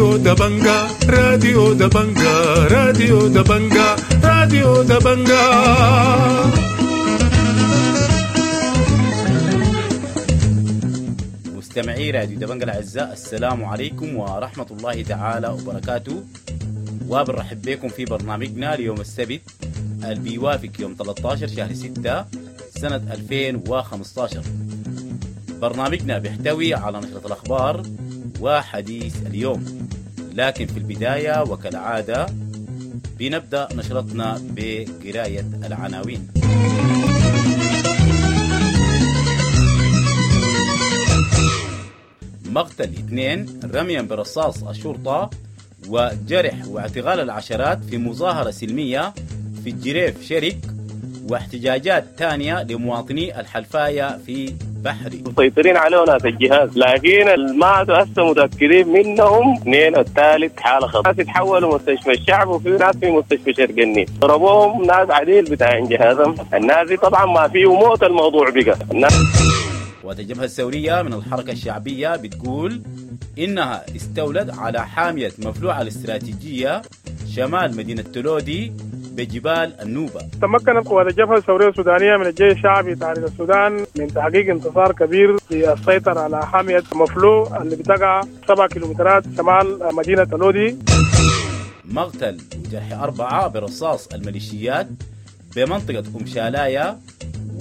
راديو دبنجا، راديو دبنجا، راديو دبنجا، راديو دبنجا. مستمعي راديو دبنجا الأعزاء، السلام عليكم ورحمة الله تعالى وبركاته، وبنرحب بكم في برنامجنا ليوم السبت اللي بيوافق يوم 13 شهر 6 سنة 2015. برنامجنا بيحتوي على نشرة الأخبار وحديث اليوم، لكن في البداية وكالعادة بنبدأ نشرتنا بقراية العناوين. مقتل 2 رميا برصاص الشرطة وجرح واعتقال العشرات في مظاهرة سلمية في الجريف شرق، واحتجاجات ثانية لمواطني الحلفاية في بحري. مسيطرين عليه ناس الجهاز، لكن ما هسه متأكدين منهم اثنين، الثالث حالة خطر. ناس يتحولوا مستشفى الشعب وفي ناس في مستشفى شرق النيل، ضربوهم ناس عديل بتاع جهازهم. الناس دي طبعا ما فيه موت، الموضوع بقى الناس. والجبهة الثورية من الحركة الشعبية بتقول إنها استولت على حامية مفلوعة الاستراتيجية شمال مدينة تلودي بجبال النوبة. تمكنت قوات الجبهة الثورية السودانية من الجيش الشعبي تحرير السودان من تحقيق انتصار كبير في السيطرة على حامية مفلوع اللي بتقع 7 كيلومترات شمال مدينة تلودي. مقتل وجرح 4 برصاص الميليشيات بمنطقة أم شالايا،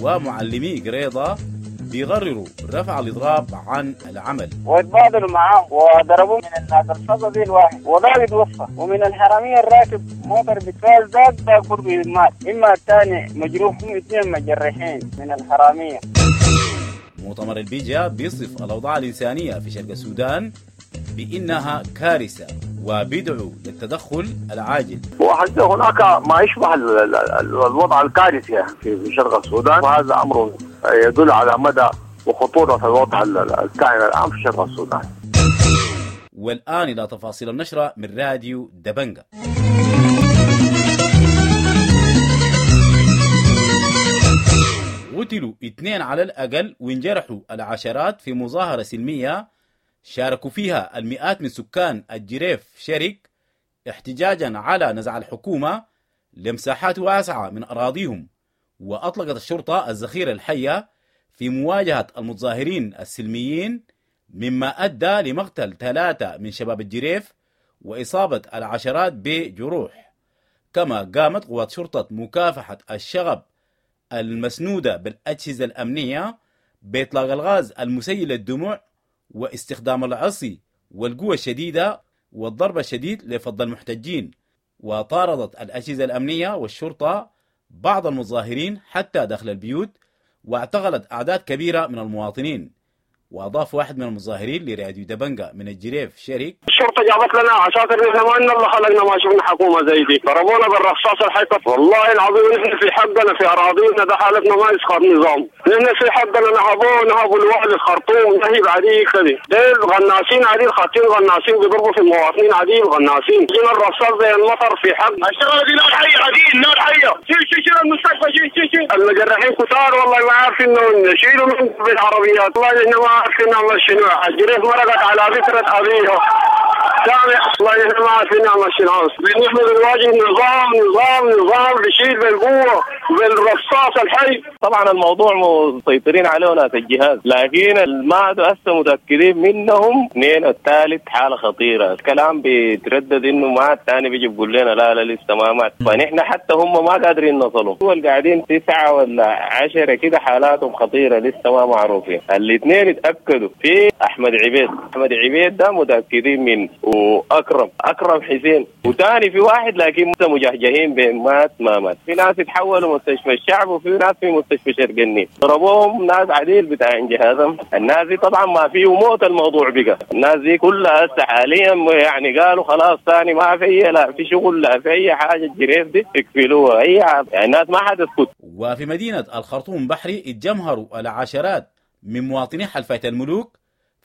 ومعلمي قريضة بيغرروا رفع الإضراب عن العمل. واتبادلوا معاهم وضربوا من الناس الصدى الواحد وذاك توفى، ومن الحرامية الراكب موتر بتفاز ذاك برضه مات، إما الثاني مجروح، هم 2 مجرحين من الحرامية. مؤتمر البيجا بيصف الأوضاع الإنسانية في شرق السودان بأنها كارثة وبيدعو للتدخل العاجل. وحتى هناك ما يشبه الوضع الكارثي في شرق السودان، وهذا أمر يدل على مدى وخطورة الوضع الكائن الآن في شرق السودان. والآن إلى تفاصيل النشرة من راديو دبنجا. قتلوا 2 على الأقل وانجرحوا العشرات في مظاهرة سلمية شاركوا فيها المئات من سكان الجريف شرق احتجاجا على نزع الحكومة لمساحات واسعة من أراضيهم. وأطلقت الشرطة الذخيرة الحية في مواجهة المتظاهرين السلميين، مما أدى لمقتل 3 من شباب الجريف وإصابة العشرات بجروح. كما قامت قوات شرطة مكافحة الشغب المسنودة بالأجهزة الأمنية بإطلاق الغاز المسيل للدموع واستخدام العصي والقوة الشديدة والضرب الشديد لفض المحتجين. وطاردت الأجهزة الأمنية والشرطة بعض المظاهرين حتى داخل البيوت، واعتقلت أعداد كبيرة من المواطنين. وأضاف واحد من المظاهرين لراديو دبنجا من الجريف شرق: الشرطة جابت لنا عساكر، نحن ما إن الله خلقنا ما شفنا حكومة زي دي، ضربونا بالرصاص الحيطة. والله العظيم نحن في حقنا في أراضينا ده حالتنا ما يسخر نظام، نحن في حقنا نهبوا الوالي الخرطوم نهب عديل كده، ديل غناسين عديل خاطين غناسين بيضربوا في المواطنين عديل غناسين، جينا الرصاص زي المطر في حق الشغلة دي، نار حية عديل نار حية، شيل شيل شيل المستشفى شيل شيل شيل المجرحين كتار والله ما عارفين نشيلوا من بالعربيات، والله نحن ما عارفين نعمل شنو. الجريف مرقت على فكرة أبيها سامع، والله نحن ما عارفين نعمل شنو. نحن بنواجه نظام نظام نظام بيشيل بالقوة بالرصاص الحي. طبعا الموضوع مسيطرين عليه ناس الجهاز، لكن ما هسه متأكدين منهم 2، الثالث حالة خطيرة. الكلام بيتردد انه مات، الثاني بيجي بيقول لنا لا لا لسه ما مات، فنحن حتى هم ما قادرين نصلهم. هو قاعدين 9 ولا 10 كده حالاتهم خطيرة لسه ما معروفين. الاثنين اتأكدوا في احمد عبيد، احمد عبيد ده متأكدين منه، واكرم اكرم حسين، وثاني في واحد لكن مجهجهين بين مات ما مات. في ناس يتحولوا مستشفى الشعب وفي ناس في مستشفى شرق النيل، ضربوهم ناس عديل بتاع جهازهم. الناس دي طبعا ما فيه موت، الموضوع بقى الناس دي كلها هسه حاليا يعني قالوا خلاص ثاني ما في لا في شغل لا في اي حاجه، الجريف دي يكفلوها اي حاجه، يعني الناس ما حتسكت. وفي مدينه الخرطوم بحري اتجمهروا العشرات من مواطني حلفاية الملوك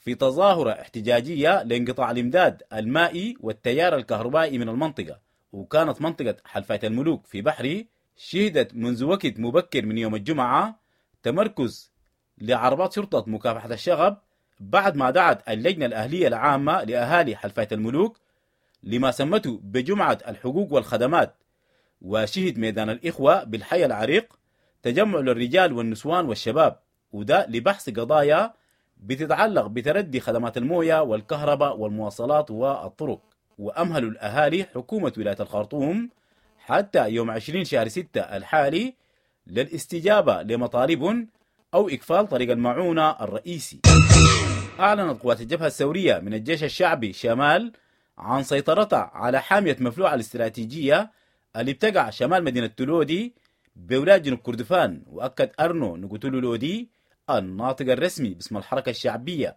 في تظاهرة احتجاجية لانقطاع الإمداد المائي والتيار الكهربائي من المنطقة. وكانت منطقة حلفاية الملوك في بحري شهدت منذ وقت مبكر من يوم الجمعة تمركز لعربات شرطة مكافحة الشغب بعد ما دعت اللجنة الأهلية العامة لأهالي حلفاية الملوك لما سمته بجمعة الحقوق والخدمات. وشهد ميدان الإخوة بالحي العريق تجمع للرجال والنسوان والشباب، وده لبحث قضايا بتتعلق بتردي خدمات الموية والكهرباء والمواصلات والطرق. وأمهلوا الأهالي حكومة ولاية الخرطوم حتى يوم 20 شهر 6 الحالي للاستجابة لمطالبهم أو إقفال طريق المعونة الرئيسي. أعلنت قوات الجبهة الثورية من الجيش الشعبي شمال عن سيطرتها على حامية مفلوعة الاستراتيجية اللي بتقع شمال مدينة تلودي بولاية جنوب كردفان. وأكد أرنو نقتلو لودي الناطق الرسمي باسم الحركة الشعبية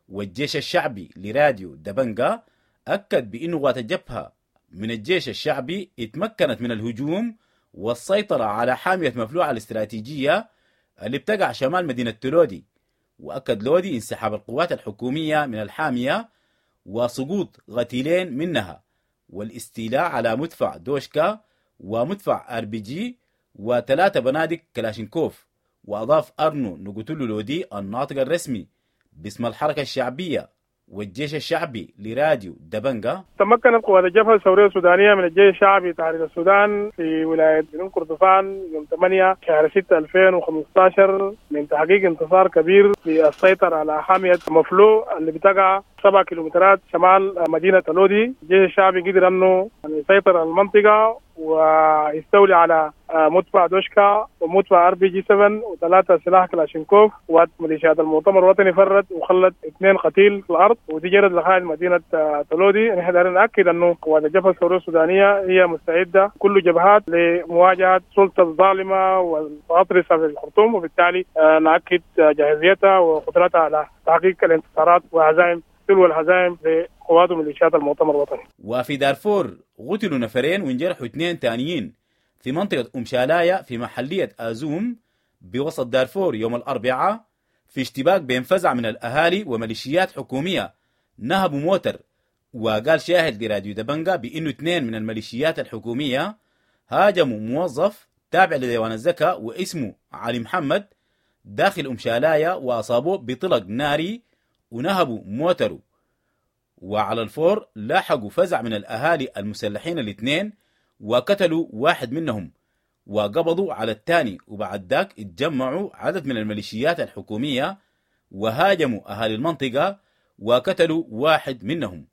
والجيش الشعبي لراديو دبنجا، أكد بأن قوات الجبهة من الجيش الشعبي اتمكنت من الهجوم والسيطرة على حامية مفلوعة الاستراتيجية اللي بتقع شمال مدينة تلودي. وأكد لودي انسحاب القوات الحكومية من الحامية وسقوط قتيلين منها والاستيلاء على مدفع دوشكا ومدفع RPG و3 بنادق كلاشينكوف. وأضاف أرنو نقتلو لودي الناطق الرسمي باسم الحركة الشعبية والجيش الشعبي لراديو دبنجا: تمكنت قوات الجبهة الثورية السودانية من الجيش الشعبي تحرير السودان في ولاية جنوب كردفان يوم 8 شهر 6 2015 من تحقيق انتصار كبير في السيطرة على حامية مفلو اللي بتقع 7 كيلومترات شمال مدينة تلودي. الجيش الشعبي قدر أنه يسيطر على المنطقة ويستولي على مدفع دوشكا ومدفع RPG 7 و3 سلاح كلاشينكوف. وميليشيات المؤتمر الوطني فرت وخلت 2 قتيل في الارض، ودي جرت لخارج مدينه تلودي. نحن دايرين ناكد انه قوات الجبهه الثوريه السودانيه هي مستعده كل جبهات لمواجهه السلطه الظالمه والمتغطرسه في الخرطوم، وبالتالي ناكد جاهزيتها وقدرتها على تحقيق الانتصارات وهزائم تلو الهزائم لقوات وميليشيات المؤتمر الوطني. وفي دارفور قتلوا نفرين وانجرحوا 2 تانيين في منطقة أم شالاية في محلية آزوم بوسط دارفور يوم الأربعاء في اشتباك بين فزع من الأهالي وميليشيات حكومية نهبوا موتر. وقال شاهد لراديو دبنجا بأنه 2 من الميليشيات الحكومية هاجموا موظف تابع لديوان الزكاة واسمه علي محمد داخل أم شالاية وأصابوه بطلق ناري ونهبوا موتره. وعلى الفور لاحقوا فزع من الأهالي المسلحين الاثنين وقتلوا واحد منهم وقبضوا على الثاني، وبعد ذاك اتجمعوا عدد من الميليشيات الحكومية وهاجموا أهالي المنطقة وقتلوا واحد منهم.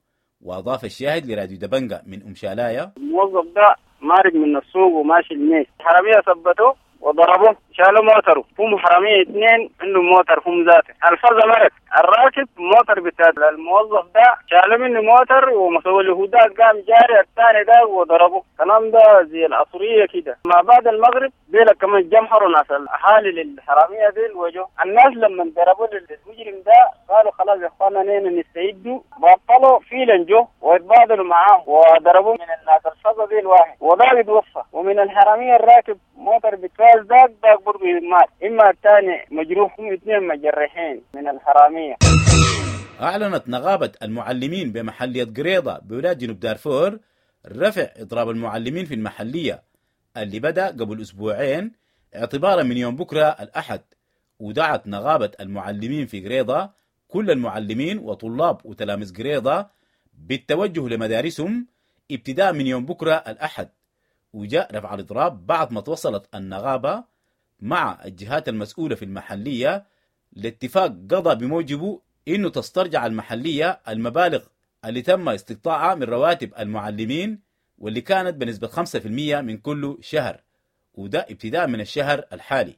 وأضاف الشاهد لراديو دبنجا من أم شالاية: الموظف ده مارق من السوق وماشي الميس، حرامية ثبتوه وضربوه، شالوا موتره، هم حرامية 2 عندهم موتر هم ذاته، الفرزة مرت الراكب موتر بتاع الموظف ده شالوا منه موتر ومسوي له ده قام جاري الثاني ده وضربه. كلام ده زي العصرية كده. ما بعد المغرب ديلك كمان جمحروا ناس الأهالي للحرامية ديل وجو الناس لما ضربوا للمجرم ده قالوا خلاص يا اخوانا نحن نستعدوا، بطلوا فيلا جو ويتبادلوا معاه وضربوا من الناس الفرزة ديل واحد وده يتوفى، ومن الحرامية الراكب موتر بتاع ذاك برضه مات، إما الثاني مجروح، هم 2 مجرحين من الحرامية. أعلنت نغابة المعلمين بمحلية قريضة بولاية جنوب دارفور رفع إضراب المعلمين في المحلية اللي بدأ قبل أسبوعين اعتبارا من يوم بكرة الأحد. ودعت نغابة المعلمين في قريضة كل المعلمين وطلاب وتلاميذ قريضة بالتوجه لمدارسهم ابتداء من يوم بكرة الأحد. وجاء رفع الإضراب بعد ما توصلت النغابة مع الجهات المسؤولة في المحلية لاتفاق قضى بموجبه إنه تسترجع المحلية المبالغ اللي تم استقطاعها من رواتب المعلمين واللي كانت بنسبة 5% من كل شهر، وده ابتداء من الشهر الحالي.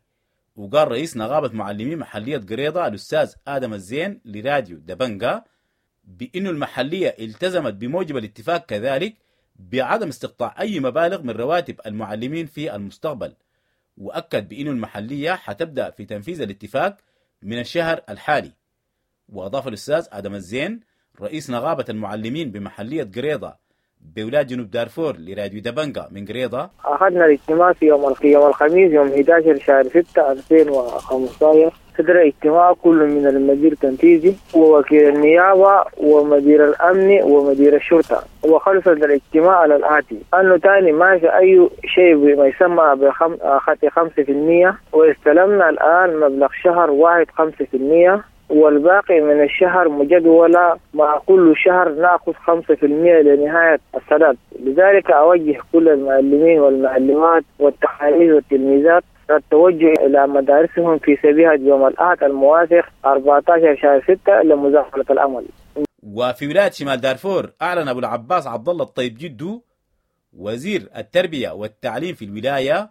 وقال رئيس نغابة معلمين محلية قريضة الأستاذ آدم الزين لراديو دبنجا بأنه المحلية التزمت بموجب الاتفاق كذلك بعدم استقطاع أي مبالغ من رواتب المعلمين في المستقبل، وأكد بأن المحلية حتبدأ في تنفيذ الاتفاق من الشهر الحالي. وأضاف الأستاذ آدم الزين رئيس نغابة المعلمين بمحلية قريضة بولاية جنوب دارفور لراديو دبنجا من قريضة: أخذنا الاجتماع في يوم الخميس يوم 11 شهر 6 2015. صدر اجتماع كل من المدير التنفيذي ووكيل النيابة ومدير الأمن ومدير الشرطة، وخلص الاجتماع على الآتي: أنه تاني ما في أي شيء بما يسمى بخط 5%، واستلمنا الآن مبلغ شهر واحد 5%، والباقي من الشهر مجدولة مع كل شهر نأخذ 5% لنهاية السداد. لذلك أوجه كل المعلمين والمعلمات والتلاميذ والتلميذات التوجه إلى مدارسهم في سبيهة يوم الأحد الموافق 14 شهر 6 لمزاولة العمل. وفي ولاية شمال دارفور أعلن أبو العباس عبد الله الطيب جدو وزير التربية والتعليم في الولاية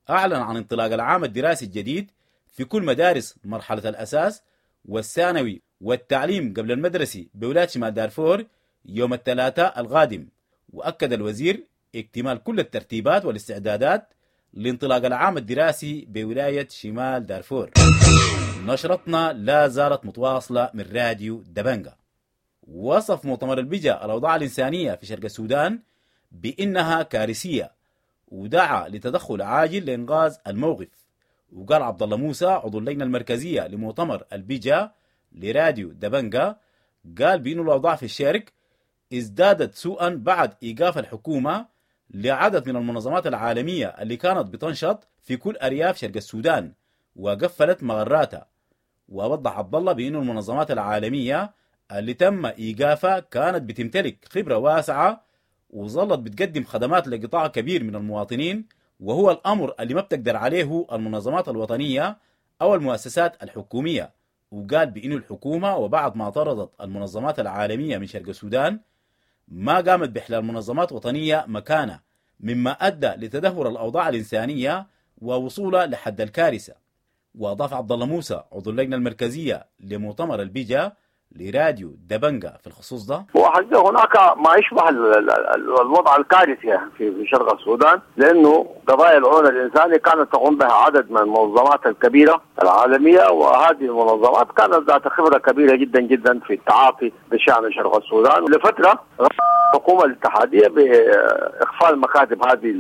أعلن عن انطلاق العام الدراسي الجديد في كل مدارس مرحلة الأساس والثانوي والتعليم قبل المدرسي بولاية شمال دارفور يوم الثلاثاء القادم. وأكد الوزير اكتمال كل الترتيبات والاستعدادات لانطلاق العام الدراسي بولاية شمال دارفور. نشرتنا لا زالت متواصلة من راديو دبنجا. وصف مؤتمر البجا الأوضاع الإنسانية في شرق السودان بأنها كارثية، ودعا لتدخل عاجل لإنقاذ الموقف. وقال عبد الله موسى عضو اللجنة المركزية لمؤتمر البجا لراديو دبنجا، قال بأن الأوضاع في الشرق ازدادت سوءا بعد إيقاف الحكومة لعدد من المنظمات العالمية اللي كانت بتنشط في كل أرياف شرق السودان وقفلت مغراتها. ووضح عبد الله بأن المنظمات العالمية اللي تم إيقافها كانت بتمتلك خبرة واسعة وظلت بتقدم خدمات لقطاع كبير من المواطنين، وهو الأمر اللي ما بتقدر عليه المنظمات الوطنية أو المؤسسات الحكومية. وقال بأن الحكومة وبعد ما طردت المنظمات العالمية من شرق السودان ما قامت بإحلال منظمات وطنية مكانة، مما أدى لتدهور الأوضاع الإنسانية ووصولها لحد الكارثة. وأضاف عبد الله موسى عضو اللجنة المركزية لمؤتمر البيجا لراديو دبنجا في الخصوص ده: وحقيقة هناك ما يشبه الوضع الكارثي في شرق السودان، لأنه قضايا العون الإنساني كانت تقوم بها عدد من المنظمات الكبيرة العالمية، وهذه المنظمات كانت ذات خبرة كبيرة جدا جدا في التعاطي بشأن شرق السودان. لفترة الحكومة الاتحادية بإقفال مكاتب هذه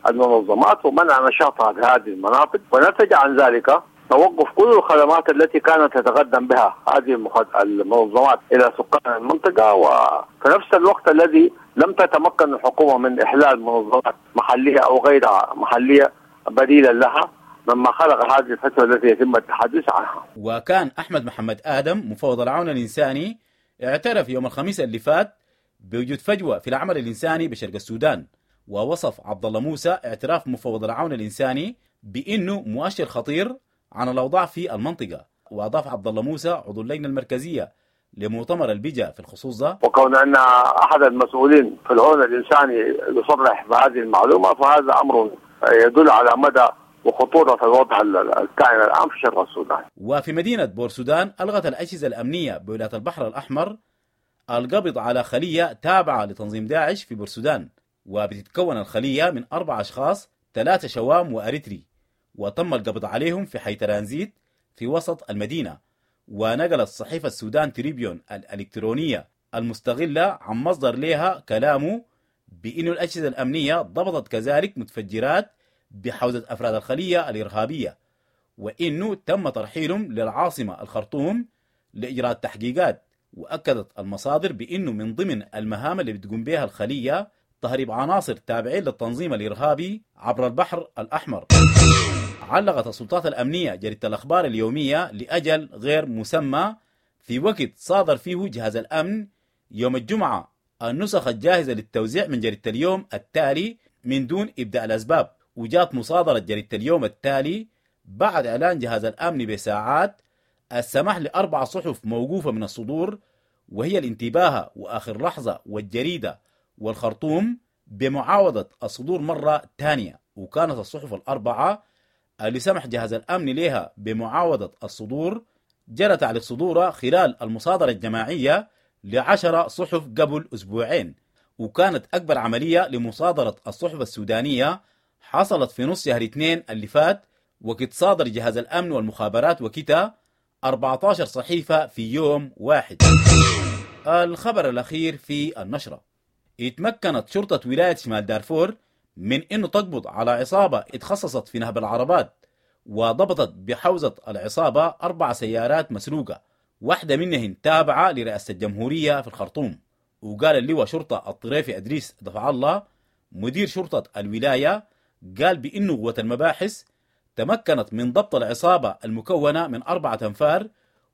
المنظمات ومنع نشاطها في هذه المناطق، ونتج عن ذلك توقف كل الخدمات التي كانت تتقدم بها هذه المنظمات إلى سكان المنطقة. وفي نفس الوقت الذي لم تتمكن الحكومة من إحلال منظمات محلية أو غيرها محلية بديلا لها، مما خلق هذه الفترة التي يتم التحدث عنها. وكان أحمد محمد آدم مفوض العون الإنساني اعترف يوم الخميس اللي فات بوجود فجوة في العمل الإنساني بشرق السودان. ووصف عبد الله موسى اعتراف مفوض العون الإنساني بأنه مؤشر خطير عن الأوضاع في المنطقة. وأضاف عبد الله موسى عضو اللجنة المركزية لمؤتمر البجا في الخصوص ده: وكون أن أحد المسؤولين في العون الإنساني يصرح بهذه المعلومة فهذا أمر يدل على مدى وخطورة الوضع الكائن الآن في شرق السودان. وفي مدينة بورسودان ألغت الأجهزة الأمنية بولاية البحر الأحمر القبض على خلية تابعة لتنظيم داعش في بورسودان، وبتتكون الخلية من 4 أشخاص، 3 شوام وأريتري، وتم القبض عليهم في حي ترانزيت في وسط المدينة. ونقلت صحيفة السودان تريبيون الإلكترونية المستغلة عن مصدر لها كلامه بأن الأجهزة الأمنية ضبطت كذلك متفجرات بحوزة أفراد الخلية الإرهابية، وإنه تم ترحيلهم للعاصمة الخرطوم لإجراء التحقيقات. وأكدت المصادر بأنه من ضمن المهام اللي بتقوم بها الخلية تهريب عناصر تابعين للتنظيم الإرهابي عبر البحر الأحمر. علقت السلطات الأمنية جريدة الأخبار اليومية لأجل غير مسمى في وقت صادر فيه جهاز الأمن يوم الجمعة النسخ الجاهزة للتوزيع من جريدة اليوم التالي من دون إبداء الأسباب. وجاءت مصادرة جريدة اليوم التالي بعد إعلان جهاز الأمن بساعات السماح ل4 صحف موقوفة من الصدور، وهي الانتباهة وآخر لحظة والجريدة والخرطوم، بمعاوضة الصدور مرة ثانية. وكانت الصحف ال4 اللي سمح جهاز الأمن لها بمعاوضة الصدور جرت على صدورها خلال المصادرة الجماعية ل10 صحف قبل أسبوعين. وكانت أكبر عملية لمصادرة الصحف السودانية حصلت في نص شهر 2 اللي فات، وقت صادر جهاز الأمن والمخابرات وكتا 14 صحيفة في يوم واحد. الخبر الأخير في النشرة: اتمكنت شرطة ولاية شمال دارفور من أنه تقبض على عصابة اتخصصت في نهب العربات، وضبطت بحوزة العصابة 4 سيارات مسروقة، واحدة منهن تابعة لرئاسة الجمهورية في الخرطوم. وقال اللواء شرطة الطريفي أدريس دفع الله مدير شرطة الولاية، قال بأنه قوة المباحث تمكنت من ضبط العصابة المكونة من 4 أنفار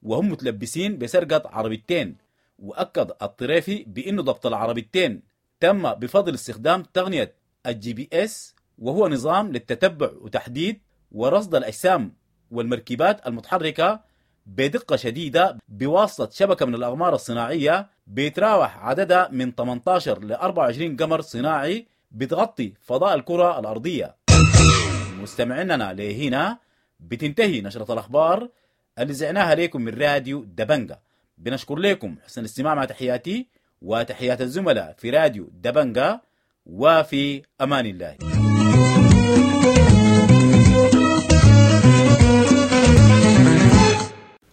وهم متلبسين بسرقة عربيتين. وأكد الطريفي بأن ضبط العربيتين تم بفضل استخدام تقنية ال GPS، وهو نظام للتتبع وتحديد ورصد الأجسام والمركبات المتحركة بدقة شديدة بواسطة شبكة من الأقمار الصناعية بيتراوح عددها من 18 ل 24 قمر صناعي بتغطي فضاء الكرة الأرضية. مستمعيننا لهنا بتنتهي نشرة الأخبار اللي زعناها لكم من راديو دبنجا. بنشكر لكم حسن الاستماع، مع تحياتي وتحيات الزملاء في راديو دبنجا، وفي أمان الله.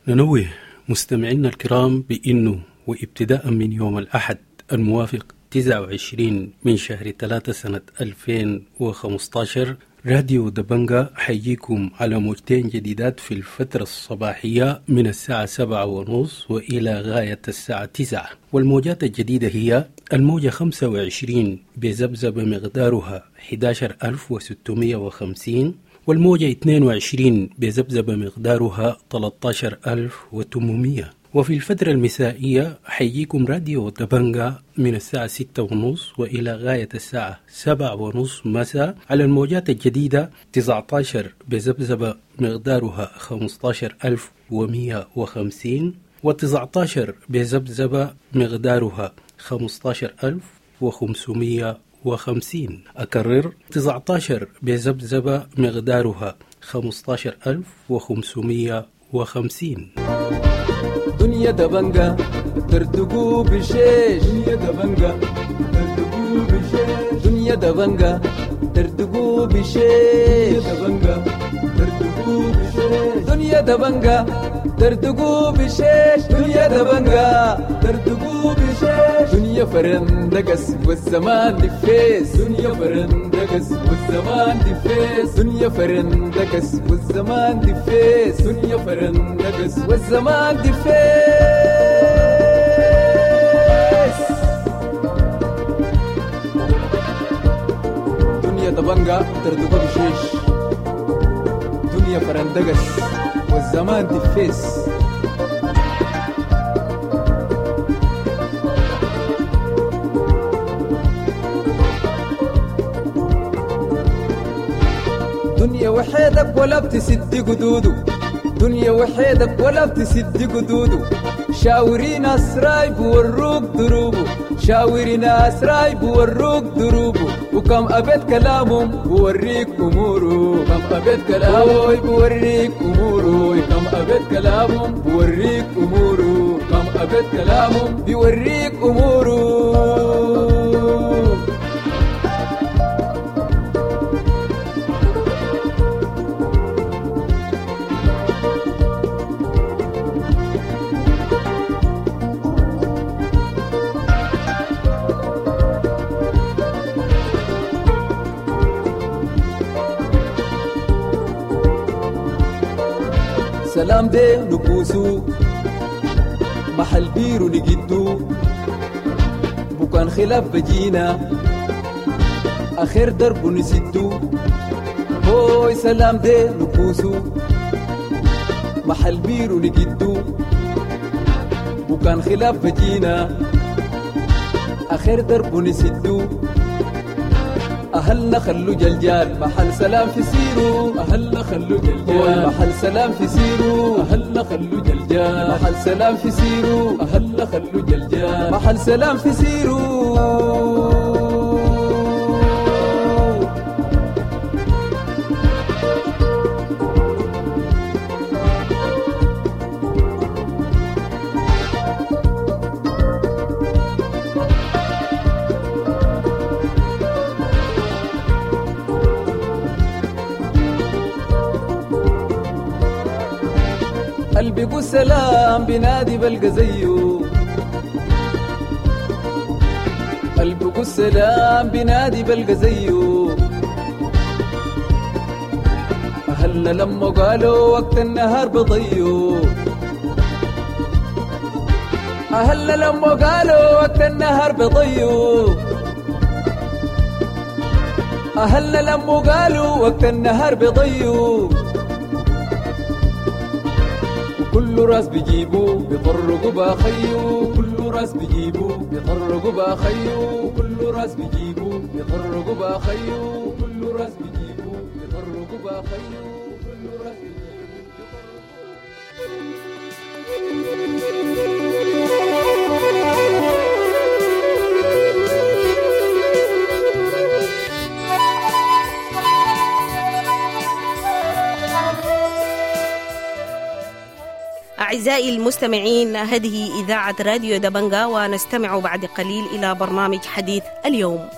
ننوه مستمعينا الكرام بأنه وابتداء من يوم الأحد الموافق 29 من شهر 3 سنة 2015 راديو دبنجا حيجيكم على موجتين جديدات في الفترة الصباحية من الساعة 7:30 وإلى غاية الساعة 9. والموجات الجديدة هي الموجة 25 بذبذبة مقدارها 11650، والموجة 22 بذبذبة مقدارها 13800. وفي الفترة المسائية حيجيكم راديو دبنجا من الساعة 6:30 وإلى غاية الساعة 7:30 مساء على الموجات الجديدة 19 بذبذبة مقدارها 15150، و19 بذبذبة مقدارها 15550. أكرر، 19 بذبذبة مقدارها 15550. دنيا دبنجا ترتقو بشيش، دنيا دبنجا ترتقو بشيش، دنيا دبنجا ترتقو بشيش، دبنجا ترتقو بشيش، دنيا دبنجا ترتقو بشيش، دنيا دبنجا ترتقو بشيش، دنيا فرندقس والزمان دفيس، دنيا فرندقس والزمان دفيس، دنيا فرندقس والزمان دفيس، دنيا فرندقس والزمان دفيس. دنيا دبنجا ترتقو بشيش، دنيا فرندقس والزمان دفيس. دنيا وحيدك ولا بتسد قدوده، دنيا وحيدك ولا بتسد قدوده، شاوري ناس رايب وروك دروبه، شاوري ناس رايب وروك دروبه، وكم أبيت كلامهم بوريك أموره، كم أبيت كلامه بوريك أموره، كم أبيت كلامهم بوريك أموره، كم أبيت كلامهم بيوريك أموره. سلام دي نبوسو محل بيرو نجدو، بكان خلاف بجينا آخر درب نسدو، هوي سلام دي نبوسو محل بيرو نجدو، بكان خلاف بجينا آخر درب نسدو، أهلنا خلو جلجال محل سلام في سيرو، أهلنا خلو جلجال محل سلام في سيرو، أهلنا خلو جلجال محل سلام في سيرو، أهلنا خلو جلجال محل سلام في سيرو. قلبي سلام بنادي بلقى زيه، قلبي سلام بنادي بلقى زيه، أهلنا لما قالوا وقت النهار بضيو، أهلنا لما قالوا وقت النهار بضيو، أهلنا لما قالوا وقت النهار بضيو، كل راس بيجيبو بيطرقوا باخيو، كل راس بيجيبو بيطرقوا باخيو، كل راس بيجيبو بيطرقوا باخيو، كل راس بيجيبو بيطرقوا باخيو، كل راس بيجيبو. أعزائي المستمعين، هذه إذاعة راديو دبنجا، ونستمع بعد قليل إلى برنامج حديث اليوم.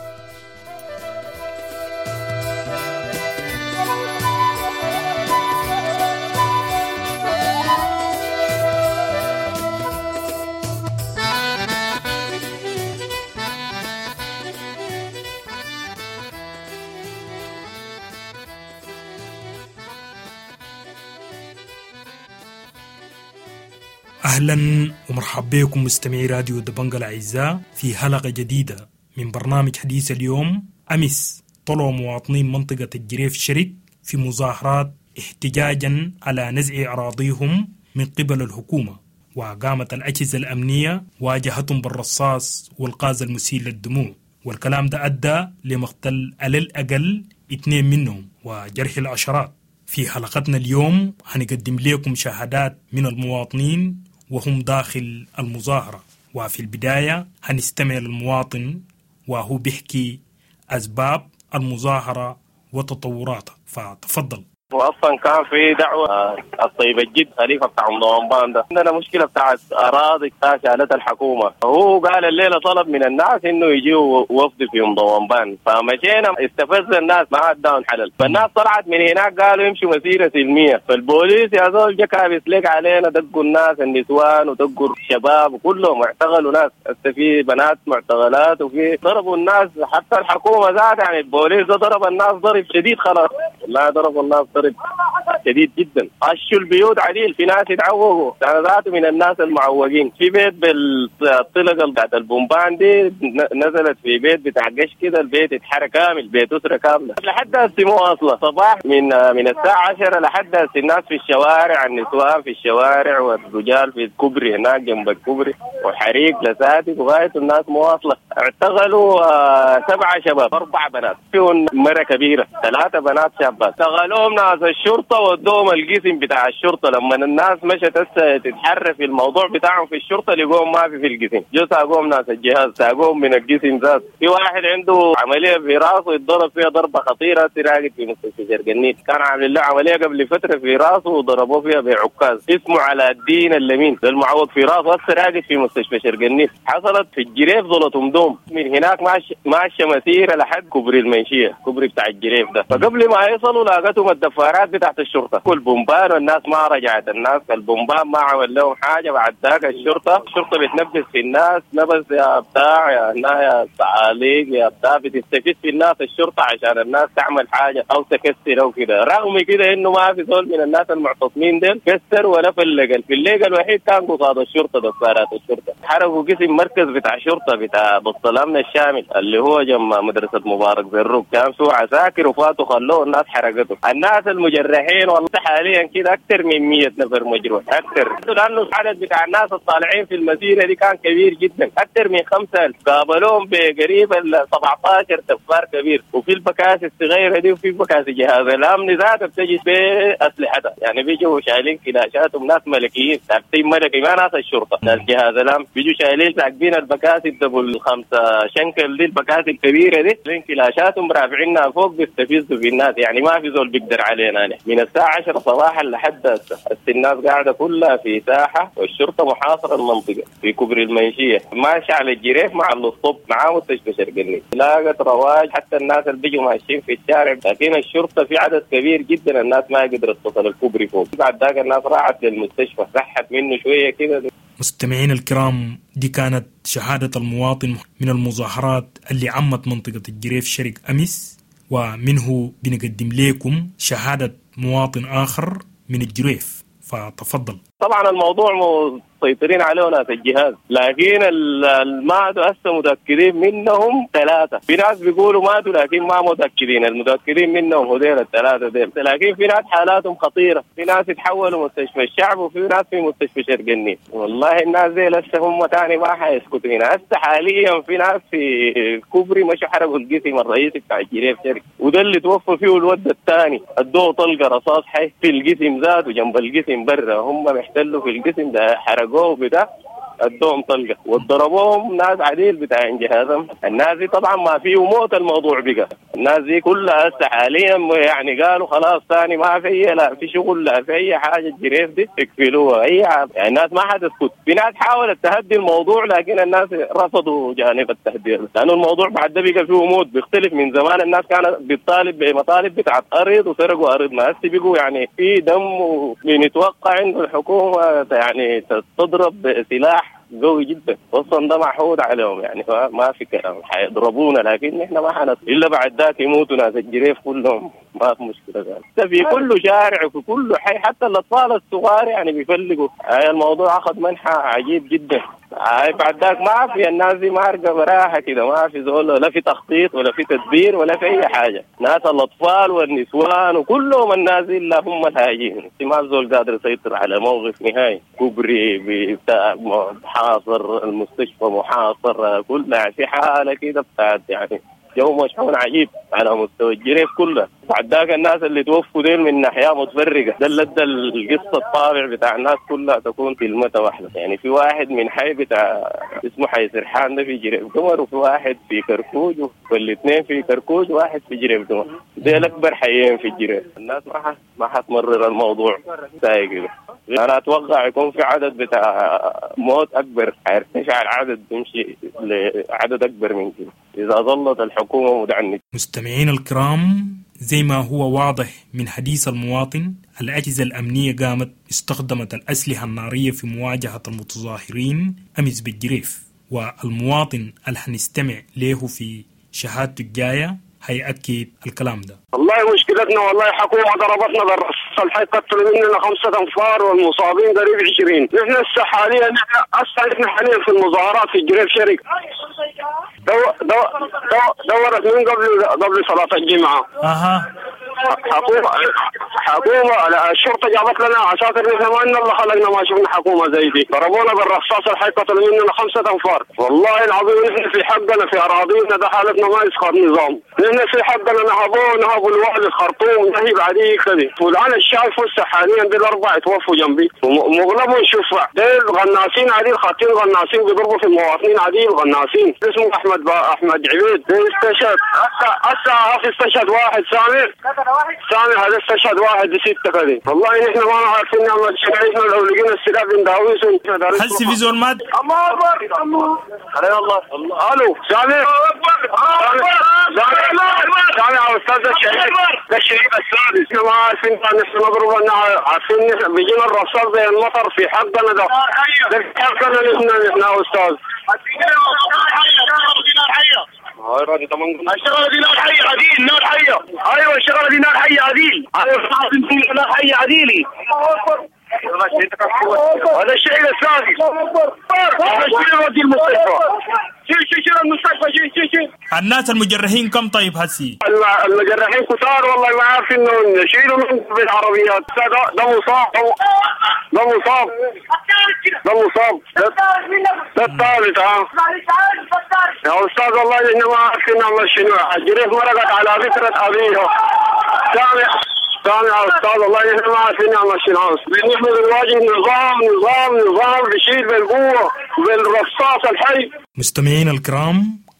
أهلا ومرحبا بكم مستمعي راديو دبنجا الأعزاء في حلقة جديدة من برنامج حديث اليوم. أمس طلعوا مواطنين منطقة الجريف شرق في مظاهرات احتجاجا على نزع أراضيهم من قبل الحكومة، وقامت الأجهزة الأمنية واجهتهم بالرصاص والغاز المسيل للدموع، والكلام ده أدى لمقتل على الأقل 2 منهم وجرح العشرات. في حلقتنا اليوم هنقدم لكم شهادات من المواطنين وهم داخل المظاهرة، وفي البداية هنستمع للمواطن وهو بيحكي أسباب المظاهرة وتطوراتها، فتفضل. واصلا كان في دعوه الطيب الجد خليفه بتاع ام ده، عندنا مشكله بتاعت اراضي شالتها الحكومه، هو قال الليله طلب من الناس انه يجيوا وفد في ام ضومبان، فمشينا استفز الناس ما اداهم حلل، فالناس طلعت من هناك قالوا يمشوا مسيره سلميه، فالبوليس يا زول جا كابس لك علينا، دقوا الناس النسوان ودقوا الشباب وكلهم اعتقلوا ناس، في بنات معتقلات وفي ضربوا الناس، حتى الحكومه ذات يعني البوليس ده ضرب الناس ضرب شديد خلاص، والله ضربوا الناس ضرب شديد جدا، خشوا البيوت عديل، في ناس يتعوقوا، انا ذاته من الناس المعوقين، في بيت بالطلقه بتاعت البومبان دي نزلت في بيت بتاع قش كده، البيت اتحرق كامل، بيت اسره كامله لحد هسه مو واصله، صباح من الساعه 10 لحد هسه الناس في الشوارع، النسوان في الشوارع والرجال في الكوبري هناك جنب الكوبري، وحريق لساتك وغايه الناس مو واصله. اعتقلوا 7 شباب، 4 بنات، فيهم مره كبيره، 3 بنات شابات، اعتقلوهم ناس الشرطه ودوهم القسم بتاع الشرطه. لما الناس مشت هسه تتحرى في الموضوع بتاعهم في الشرطه لقوهم ما في القسم، جو ساقوهم ناس الجهاز، ساقوهم من القسم ذات. في واحد عنده عمليه في راسه اتضرب فيها ضربه خطيره، راقد في مستشفى شرق النيل، كان عامل له عمليه قبل فتره في راسه وضربوه فيها بعكاز، اسمه علاء الدين اللمين، ده المعوق في راسه هسه راقد في مستشفى شرق النيل. حصلت في الجريف ظلتهم دوم، من هناك ماشيه مسيره لحد كوبري المنشيه، كوبري بتاع الجريف ده، فقبل ما يصلوا لاقتهم الدفارات بتاعت الشرطه، كل بومبان والناس ما رجعت، الناس البومبان ما عمل لهم حاجه. بعد ذاك الشرطه بتنبس في الناس نبس يا بتاع يا يا تعاليق يا بتاع، بتستفز في الناس الشرطه عشان الناس تعمل حاجه او تكسر او كده، رغم كده انه ما في زول من الناس المعتصمين ديل كسر ولا فلق، الفليق الوحيد كان قصاد الشرطه دفارات الشرطه. حرقوا قسم مركز بتاع شرطه بتاع بسط الامن الشامل اللي هو جنب مدرسه مبارك زروق، كان فيه عساكر وفاتوا خلوه الناس حرقته. الناس المجرحين والله حاليا كده اكثر من 100 نفر مجروح اكثر، لانه العدد بتاع الناس الطالعين في المسيره دي كان كبير جدا، اكثر من 5000، قابلوهم بقريب ال 17 دفار كبير، وفي البكاسي الصغيره دي وفي بكاسي جهاز الامن ذاته بتجي باسلحتها، يعني بيجوا شايلين كلاشاتهم ناس ملكيين ثابتين ملكي، ما ناس الشرطه، ناس جهاز الامن بيجوا شايلين راكبين البكاسي ال double 5 شنكل دي، البكاسي الكبيره دي، شايلين كلاشاتهم رافعينها فوق بيستفزوا في الناس، يعني ما في زول بيقدر علينا. يعني من الساعة 10 صباحا لحد هسه الناس قاعدة كلها في ساحة، والشرطة محاصرة المنطقة في كوبري المنشية، ماشي على الجريف مع الاسطب مع مستشفى شرق النيل، لاقت رواج حتى الناس اللي بيجوا ماشيين في الشارع، لكن الشرطة في عدد كبير جدا الناس ما قدرت تصل الكوبري فوق. بعد ذاك الناس راحت للمستشفى، رحت منه شوية كده. مستمعين الكرام، دي كانت شهادة المواطن من المظاهرات اللي عمت منطقة الجريف شرق أمس، ومنه بنقدم لكم شهادة مواطن آخر من الجريف، فتفضل. طبعا الموضوع مسيطرين عليه ناس الجهاز، لكن الماتوا هسه متاكدين منهم 3. في ناس بيقولوا ماتوا لكن ما متاكدين، المتاكدين منهم هذول ال3 ديل، لكن في ناس حالاتهم خطيرة، في ناس يتحولوا مستشفى الشعب وفي ناس في مستشفى شرق النيل. والله الناس دي لسه هم تاني ما حيسكتوا هنا. هسه حاليا في ناس في كوبري مشوا حرقوا القسم الرئيسي بتاع الجريف شرق، وده اللي توفى فيه الود الثاني، ادوه طلقه رصاص حي في القسم ذاته جنب القسم برا، هم محتلوا في القسم ده حرقوه بتاع ادوهم طلقه وضربوهم ناس عديل بتاع جهازهم. الناس دي طبعا ما فيه موت، الموضوع بقى الناس دي كلها هسه حاليا يعني قالوا خلاص ثاني ما في، لا في شغل لا في اي حاجة، الجريف دي اقفلوها اي حاجة. يعني الناس ما حتسكت. في ناس حاولت تهدي الموضوع لكن الناس رفضوا جانب التهديد، لانه الموضوع بعد ده بقى فيه موت بيختلف. من زمان الناس كانت بتطالب بمطالب بتاعت ارض وسرقوا ارضنا، هسه بقوا يعني في دم، وبنتوقع انه الحكومة يعني تضرب بسلاح قوي جدا، اصلا ده معهود عليهم يعني ما في كلام، حيضربونا لكن احنا ما حنط الا بعد ذاك يموتوا ناس الجريف كلهم، ما في مشكلة ذلك. في كل شارع وفي كل حي حتى الاطفال الصغار يعني بيفلقوا. هاي الموضوع اخذ منحى عجيب جدا. هاي بعد ذاك ما في الناس دي مارقه براها كده، ما في زول، لا في تخطيط ولا في تدبير ولا في اي حاجة. ناس الاطفال والنسوان وكلهم الناس الا هم الهاجين، ما زول قادر يسيطر على موقف نهائي. كوبري بتاع محاصر، المستشفى محاصر، كلها في حاله كده بتاعت يعني جو مشحون عجيب على مستوى الجريف كله. بعد ذاك الناس اللي توفوا ديل من ناحية متفرقة، ده اللي ادى القصة الطابع بتاع الناس كلها تكون كلمة واحدة. يعني في واحد من حي بتاع اسمه حي سرحان ده في جريف قمر، وفي واحد في كركوج، والاثنين في كركوج وواحد في جريف قمر، ديل اكبر حيين في الجريف. الناس ما حتمرر الموضوع سايق كده. انا اتوقع يكون في عدد بتاع موت اكبر، حيرتفع العدد بيمشي لعدد اكبر من كده اذا ظلت الحكومة مدعنة. مستمعين الكرام، زي ما هو واضح من حديث المواطن، الأجهزة الأمنية قامت استخدمت الأسلحة النارية في مواجهة المتظاهرين أمس بالجريف، والمواطن اللي حنستمع له في شهادته الجاية هيأكد الكلام ده. والله مشكلتنا والله حكومة ضربتنا بالرصاص الحي، قتلوا مننا 5 أنفار والمصابين قريب 20. نحن هسه حاليا نحن حاليا في المظاهرات في الجريف شرق. دورت من قبل صلاة الجمعة. اها. حكومة الشرطة جابت لنا عساكر، نحن ما ان الله خلقنا ما شفنا حكومة زي دي. ضربونا بالرصاص الحي، قتلوا مننا 5 أنفار. والله العظيم نحن في حقنا في أراضينا، ده حالتنا ما يسخر نظام. نحن في حقنا نهبوا الوالي الخرطوم نهب عديد كده. والآن الشايف هسه حاليا دي 4 توفوا جنبي ومغلبهم شفع، ديل غناسين عديل، خاطين غناسين بيضربوا في المواطنين عديل غناسين. اسمه أحمد عبيد استشهد هسه استشهد واحد سامع هذا استشهد واحد 6 كده. والله نحن ما عارفين نعمل شيء، نحن لو لقينا السلاح بنداويسهم. هل في زول مات؟ الله اكبر الله الله. الو سامع سامع يا استاذ الشهيد، ده الشهيد السادس. نحن ما عارفين نحن نضرب، عارفين بيجينا الرصاص زي المطر في حقنا ده في حقنا نحن يا استاذ. الشغلة دي نار حيه عديل، نار حيه. ايوه الشغلة دي نار حيه عديل، نار حيه عديلي. هذا الشيء السادس، هذا الشيء ودي المستشفى. شيل شيل المستشفى، شيل شيل شيل. الناس المجرحين كم طيب هسي؟ المجرحين كتار والله ما عارفين انه شيلوا من بالعربيات. ده مصاب، ده مصاب، ده مصاب، ده الثالث. ها يا استاذ والله احنا ما عارفين نعمل شنو. الجريف مرقت على ذكرى ابيها. سامع يا استاذ والله نحن ما عارفين نعمل شنو. نحن بنواجه نظام نظام نظام بيشيل بالقوة بالرصاص الحي. مستمعين الكرام،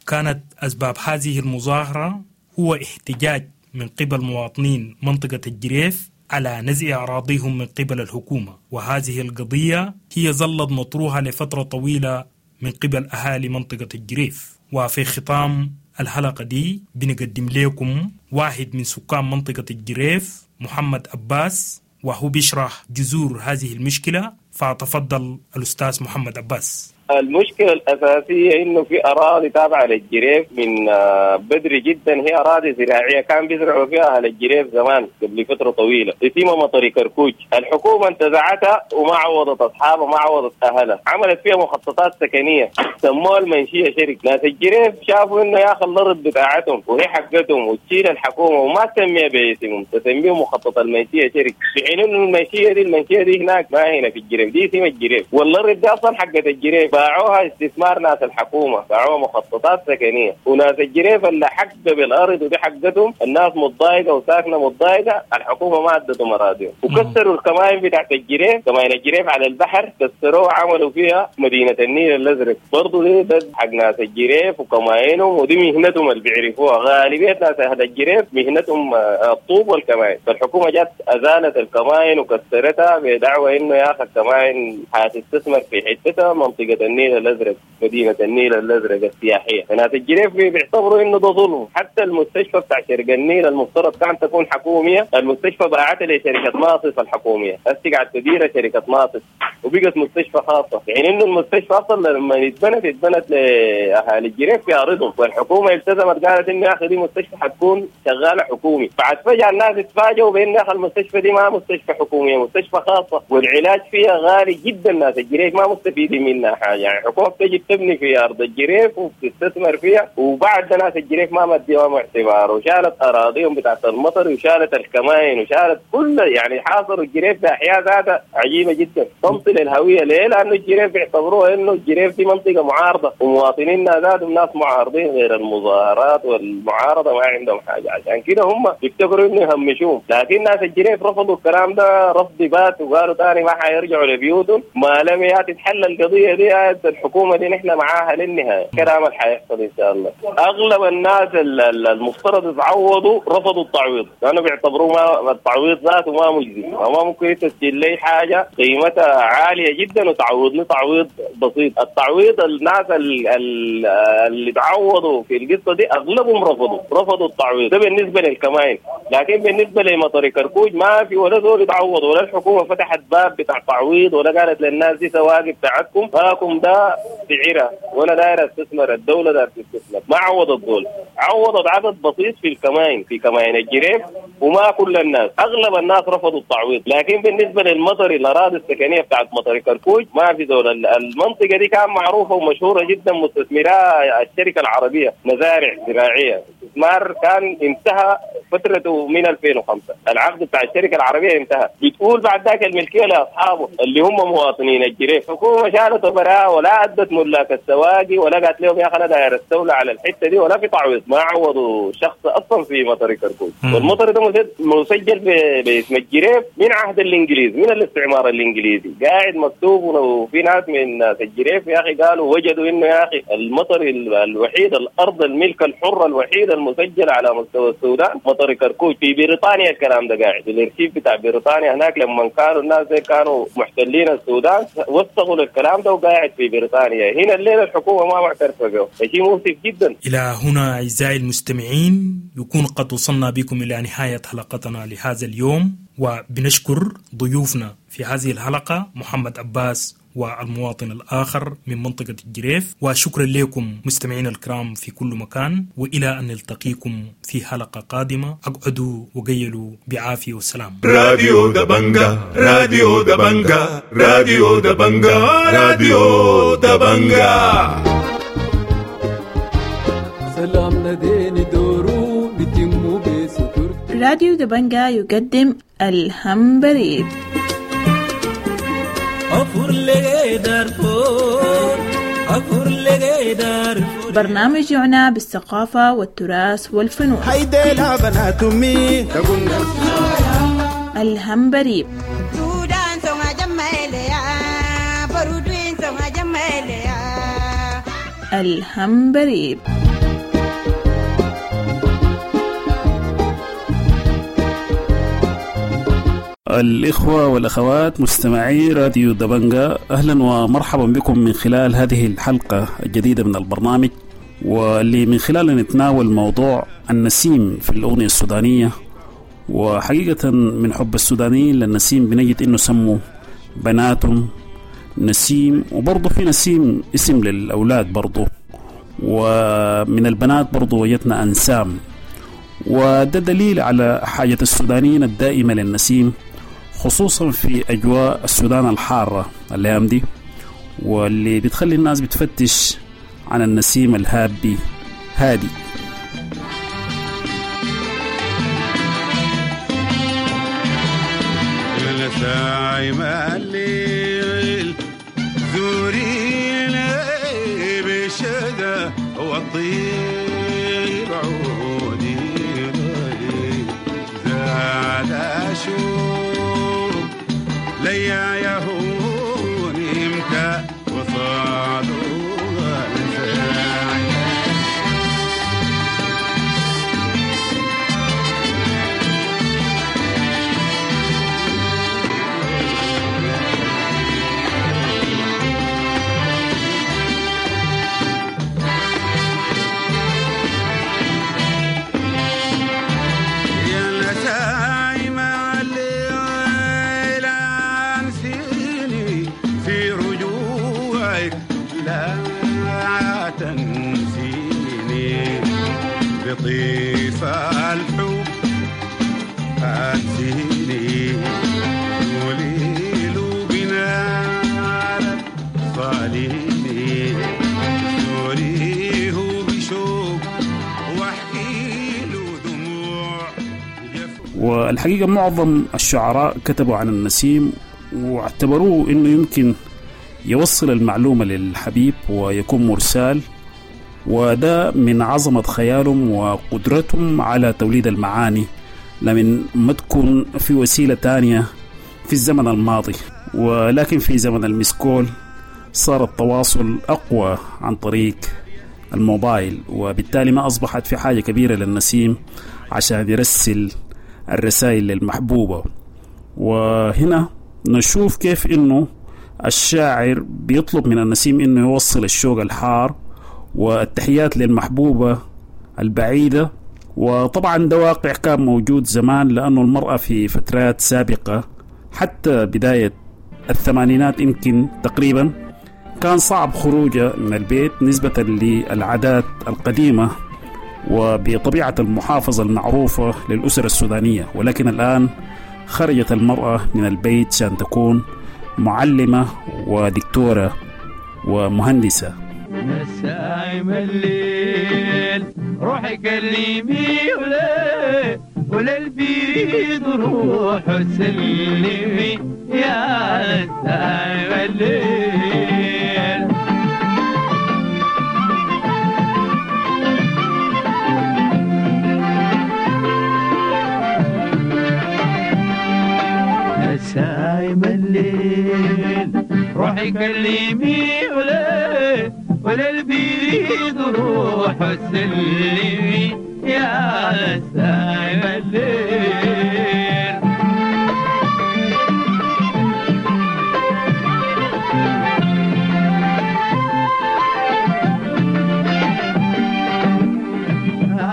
كانت أسباب هذه المظاهرة هو احتجاج من قبل مواطنين منطقة الجريف على نزع أراضيهم من قبل الحكومة، وهذه القضية هي ظلت مطروحة لفترة طويلة من قبل أهالي منطقة الجريف. وفي ختام الحلقة دي بنقدم لكم واحد من سكان منطقة الجريف، محمد عباس، وهو بيشرح جذور هذه المشكلة. فتفضل الأستاذ محمد عباس. المشكلة الأساسية إنه في أراضي تابعة للجريف من بدري جدا، هي أراضي زراعية كان بيزرعوا فيها أهل الجريف زمان قبل فترة طويلة، اسمها مطري كركوج. الحكومة انتزعتها وما عوضت أصحابها، ما عوضت أهلها، عملت فيها مخططات سكنية سموها المنشية شرق. ناس الجريف شافوا إنه يا أخي الأرض بتاعتهم وهي حقتهم وتشيل الحكومة وما تسميها باسمهم، تسميه مخطط المنشية شرق، في حين إنه المنشية دي هناك ما هنا في الجريف، دي اسمها الجريف، والأرض دي أصلا حقت الجريف، باعوها استثمار ناس الحكومة، باعوها مخططات سكنية، وناس الجريف اللي حق بالأرض ودي حقتهم، الناس متضايقة وساكنة متضايقة، الحكومة ما أدتهم أراضيهم، وكسروا الكمائن بتاعت الجريف، كمائن الجريف على البحر كسروها وعملوا فيها مدينة النيل الأزرق، برضو دي ده حق ناس الجريف وكمائنهم، ودي مهنتهم اللي بيعرفوها، غالبية ناس أهل الجريف مهنتهم الطوب والكمائن، فالحكومة جت أزالت الكمائن وكسرتها بدعوى إنه يا أخي الكمائن حتستثمر في حتتها منطقة النيل الأزرق، مدينة النيل الأزرق السياحية. فناس الجريف بيعتبروا إنه ده ظلم. حتى المستشفى بتاع شرق النيل المفترض كان تكون حكومية، المستشفى باعتها لشركة ناصف الحكومية، هسه قاعد تديرها شركة ناصف وبقت مستشفى خاصة، يعني إنه المستشفى أصلا لما اتبنت لأهالي الجريف في أرضهم، والحكومة التزمت قالت إنه يا أخي دي مستشفى حتكون شغالة حكومي. بعد فجأة الناس اتفاجئوا بإن يا أخي المستشفى دي ما مستشفى حكومية، مستشفى خاصة، والعلاج فيها غالي جدا، ناس الجريف ما مستفيدين منها حاجة. يعني الحكومة بتجي تبني في أرض الجريف وبتستثمر فيها، وبعد ناس الجريف ما مديهم اعتبار، وشالت أراضيهم بتاعت المطر وشالت الكمائن وشالت كل، يعني حاصروا الجريف بأحياء ذاتها عجيبة جدا. تمطل الهوية ليه؟ لأنه الجريف بيعتبروها إنه الجريف دي منطقة معارضة، ومواطنيننا ذاتهم ناس معارضين، غير المظاهرات والمعارضة ما عندهم حاجة، عشان كده هم بيفتكروا إنه يهمشوهم. لكن ناس الجريف رفضوا الكلام ده رفض بات، وقالوا تاني ما حيرجعوا لبيوتهم ما لم تتحل القضية دي. الحكومة دي نحن معاها للنهاية، كلام اللي حيحصل إن شاء الله. أغلب الناس المفترض يتعوضوا رفضوا التعويض، لأنه بيعتبروه ما التعويض ذاته ما مجزي، وما ممكن تسجل لي حاجة قيمتها عالية جدا وتعوضني تعويض بسيط. التعويض الناس اللي تعوضوا في القصة دي أغلبهم رفضوا التعويض ده بالنسبة للكمائن. لكن بالنسبة لمطر كركوج ما في ولا زول يتعوض، ولا الحكومة فتحت باب بتاع تعويض، ولا قالت للناس دي سواقي بتاعتكم هاكم ده سعرها، ولا دايرة استثمر، الدولة دايرة تستثمر. ما عوضت دول، عوضت عدد بسيط في الكمائن، في كمائن الجريف، وما كل الناس، أغلب الناس رفضوا التعويض. لكن بالنسبة للمطر، الأراضي السكنية بتاعت مطر كركوج ما في دول. المنطقة دي كان معروفة ومشهورة جدا، مستثمرها الشركة العربية، مزارع زراعية، استثمار كان انتهى فترته من 2005، العقد بتاع الشركة العربية انتهى. بتقول بعد ذاك الملكية لأصحابه اللي هم مواطنين الجريف. الحكومة شالت براء ولا أدت ملاك السواقي، ولا قالت لهم يا أخي أنا داير استولى على الحتة دي، ولا في تعويض، ما عوضوا شخص أصلا في مطر كركوج. والمطر ده مسجل باسم الجريف من عهد الإنجليز، من الاستعمار الإنجليزي قاعد مكتوب. وفي ناس من ناس الجريف يا أخي قالوا وجدوا إنه يا أخي المطر الوحيد، الأرض الملك الحرة الوحيدة المسجلة على مستوى السودان مطر كركوج. في بريطانيا الكلام ده قاعد في الارشيف بتاع بريطانيا هناك، لما كانوا الناس زي كانوا محتلين السودان وثقوا الكلام ده وقاعد في بريطانيا. هنا الليلة الحكومة ما معترفة به، شيء مؤسف جدا. إلى هنا أعزائي المستمعين يكون قد وصلنا بكم إلى نهاية حلقتنا لهذا اليوم، وبنشكر ضيوفنا في هذه الحلقة محمد عباس والمواطن الآخر من منطقة الجريف، وشكرا لكم مستمعين الكرام في كل مكان، وإلى أن نلتقيكم في حلقة قادمة، أقعدوا وقيلوا بعافية وسلام. راديو دبنجا، راديو دبنجا، راديو دبنجا، راديو دبنجا. سلام نديني دورو بتمو بستر. راديو دبنجا يقدم الهمبريب. برنامج يعنى بالثقافة والتراث والفنون. الهمبريب. الهمبريب. الإخوة والأخوات مستمعي راديو دبنجا، أهلا ومرحبا بكم من خلال هذه الحلقة الجديدة من البرنامج، واللي من خلالها نتناول موضوع النسيم في الأغنية السودانية. وحقيقة من حب السودانيين للنسيم بنجد إنه سموا بناتهم نسيم، وبرضه في نسيم اسم للأولاد برضه، ومن البنات برضه وجدنا أنسام. وده دليل على حاجة السودانيين الدائمة للنسيم، خصوصا في أجواء السودان الحارة الأيام دي، واللي بتخلي الناس بتفتش عن النسيم الهابي هادي. نسايم الليل زورينا بشدة والطيب عودي غريب زاد شوق ليا يهون امتى وصادوا. بطيف الحب أنسيني وليل بنارك صاليني سوريه بشوق واحكي له دموع. والحقيقة معظم الشعراء كتبوا عن النسيم واعتبروه انه يمكن يوصل المعلومة للحبيب ويكون مرسال، وده من عظمة خيالهم وقدرتهم على توليد المعاني لمن ما تكون في وسيلة تانية في الزمن الماضي. ولكن في زمن المسكول صار التواصل أقوى عن طريق الموبايل، وبالتالي ما أصبحت في حاجة كبيرة للنسيم عشان يرسل الرسائل للمحبوبة. وهنا نشوف كيف إنه الشاعر بيطلب من النسيم إنه يوصل الشوق الحار والتحيات للمحبوبة البعيدة. وطبعا ده واقع كان موجود زمان، لأنه المرأة في فترات سابقة حتى بداية الثمانينات يمكن تقريبا كان صعب خروجها من البيت نسبة للعادات القديمة وبطبيعة المحافظة المعروفة للأسر السودانية. ولكن الآن خرجت المرأة من البيت عشان تكون معلمة ودكتورة ومهندسة. نسايم الليل روحي كلمي ولا البيد روح سلمي يا نسايم الليل. نسايم الليل روحي كلمي ولا البيد روح سلمي يا نسايم الليل.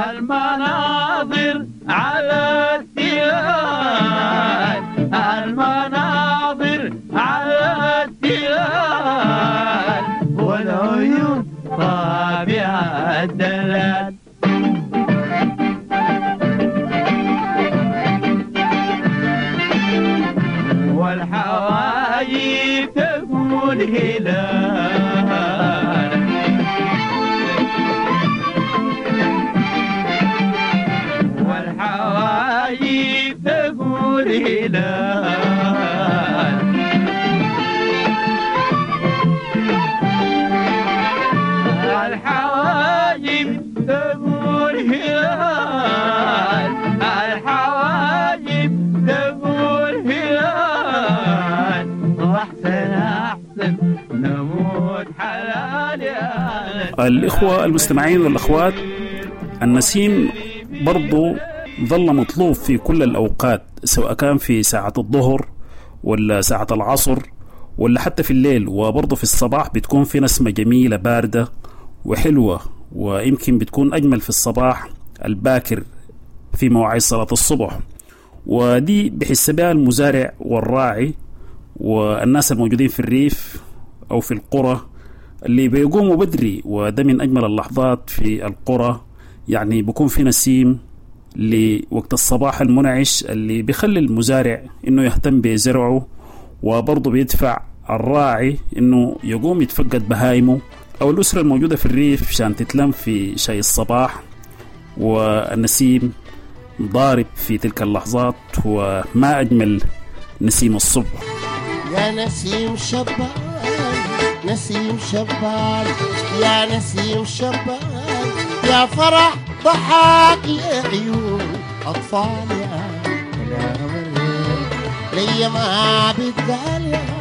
المناظر على التلال، المناظر على التلال، والعيون طابعة الدلال. والحوايب تقول هلال، والحوايب تقول هلال. الحواجب تقول هلال، الحواجب تقول هلال، واحسن احسن نموت حلال. الإخوة المستمعين والأخوات، النسيم برضو ظل مطلوب في كل الأوقات، سواء كان في ساعة الظهر ولا ساعة العصر ولا حتى في الليل، وبرضو في الصباح بتكون في نسمة جميلة باردة وحلوة، ويمكن بتكون أجمل في الصباح الباكر في مواعيد صلاة الصبح. ودي بحس بها المزارع والراعي والناس الموجودين في الريف أو في القرى اللي بيقوموا بدري، وده من أجمل اللحظات في القرى. يعني بيكون في نسيم لوقت الصباح المنعش اللي بيخلي المزارع إنه يهتم بزرعه، وبرضه بيدفع الراعي إنه يقوم يتفقد بهايمه أو الأسرة الموجودة في الريف عشان تتلم في شاي الصباح، والنسيم ضارب في تلك اللحظات، وما أجمل نسيم الصبح. يا نسيم شبان، نسيم شبان، يا نسيم شبان، يا فرح ضحاك يا عيون أطفال، يا لي ما بتقال يا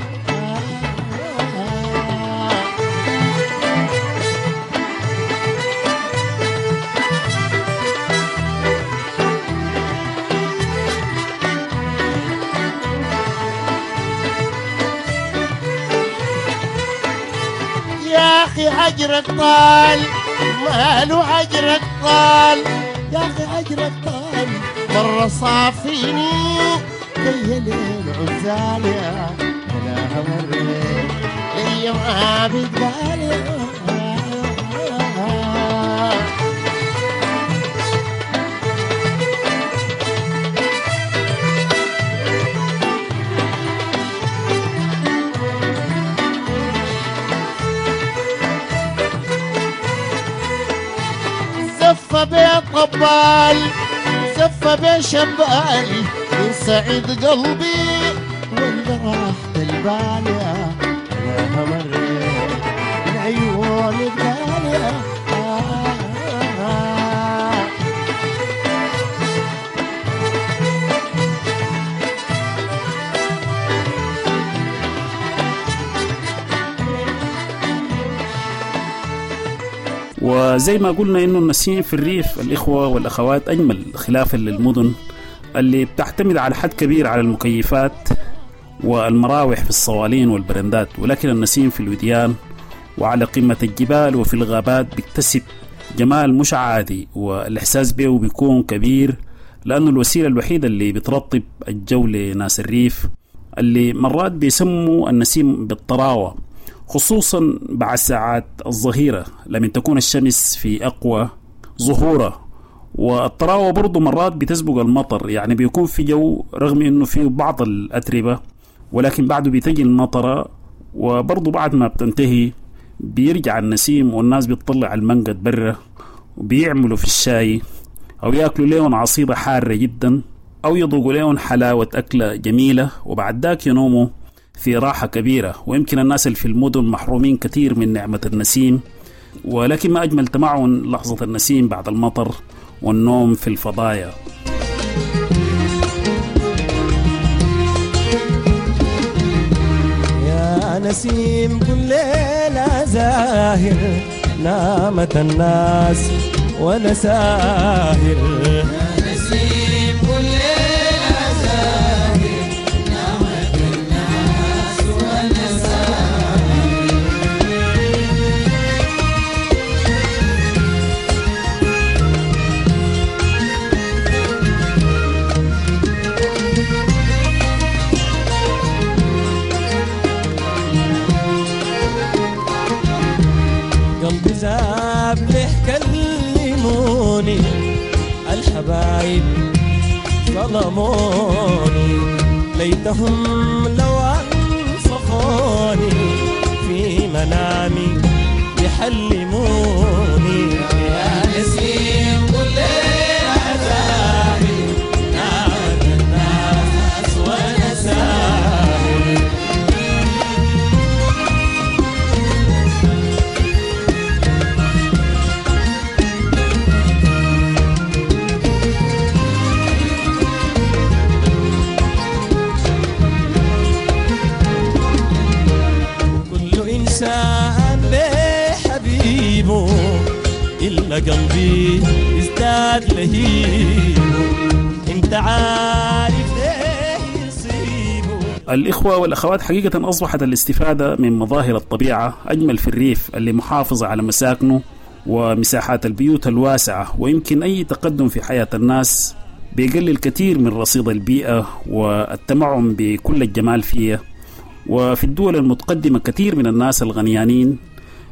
يا أخي هجرك طال، ماله هجرك طال، يا أخي هجرك طال، مرة صافيني كي ليل عزال، يا أنا مريت لي ما بتقال يا زفة بطبال، زفة بشبال، يسعد قلبي ولا راحة البال، يا أنا مريت العيون بقال. وزي ما قلنا إنه النسيم في الريف الإخوة والأخوات أجمل، خلافا للمدن اللي بتعتمد على حد كبير على المكيفات والمراوح في الصوالين والبرندات، ولكن النسيم في الوديان وعلى قمة الجبال وفي الغابات بيكتسب جمال مش عادي، والإحساس به بيكون كبير، لأنه الوسيلة الوحيدة اللي بترطب الجو لناس الريف اللي مرات بيسموا النسيم بالطراوة، خصوصا بعد ساعات الظهيرة لما تكون الشمس في أقوى ظهورة. والطراوة برضو مرات بتسبق المطر، يعني بيكون في جو رغم انه فيه بعض الأتربة، ولكن بعده بتجي المطرة، وبرضو بعد ما بتنتهي بيرجع النسيم والناس بتطلع المنقد برا وبيعملوا في الشاي أو يأكلوا ليهم عصيدة حارة جدا أو يذوقوا ليهم حلاوة أكلة جميلة، وبعد ذاك ينوموا في راحة كبيرة. ويمكن الناس اللي في المدن محرومين كثير من نعمة النسيم، ولكن ما أجمل تمعن لحظة النسيم بعد المطر والنوم في الفضايا. يا نسيم كل ليلة زاهر، نامت الناس وأنا ساهر. يا نسيم كل ليلة زاهر، نامت الناس وأنا ساهر. قلبي ذاب له كلموني الحبايب ظلموني، ليتهم لو أنصفوني في منامي يحلموني. يا نسيم كل ليلة زاهر، نامت الناس وأنا ساهر. كل إنسان بحبيبه إلا قلبي ازداد لهيبه، انت عارف ايه يصيبه. الإخوة والأخوات، حقيقة أصبحت الاستفادة من مظاهر الطبيعة أجمل في الريف اللي محافظة على مساكنه ومساحات البيوت الواسعة، ويمكن أي تقدم في حياة الناس بيقلل كثير من رصيد البيئة والتمعن بكل الجمال فيها. وفي الدول المتقدمة كثير من الناس الغنيانين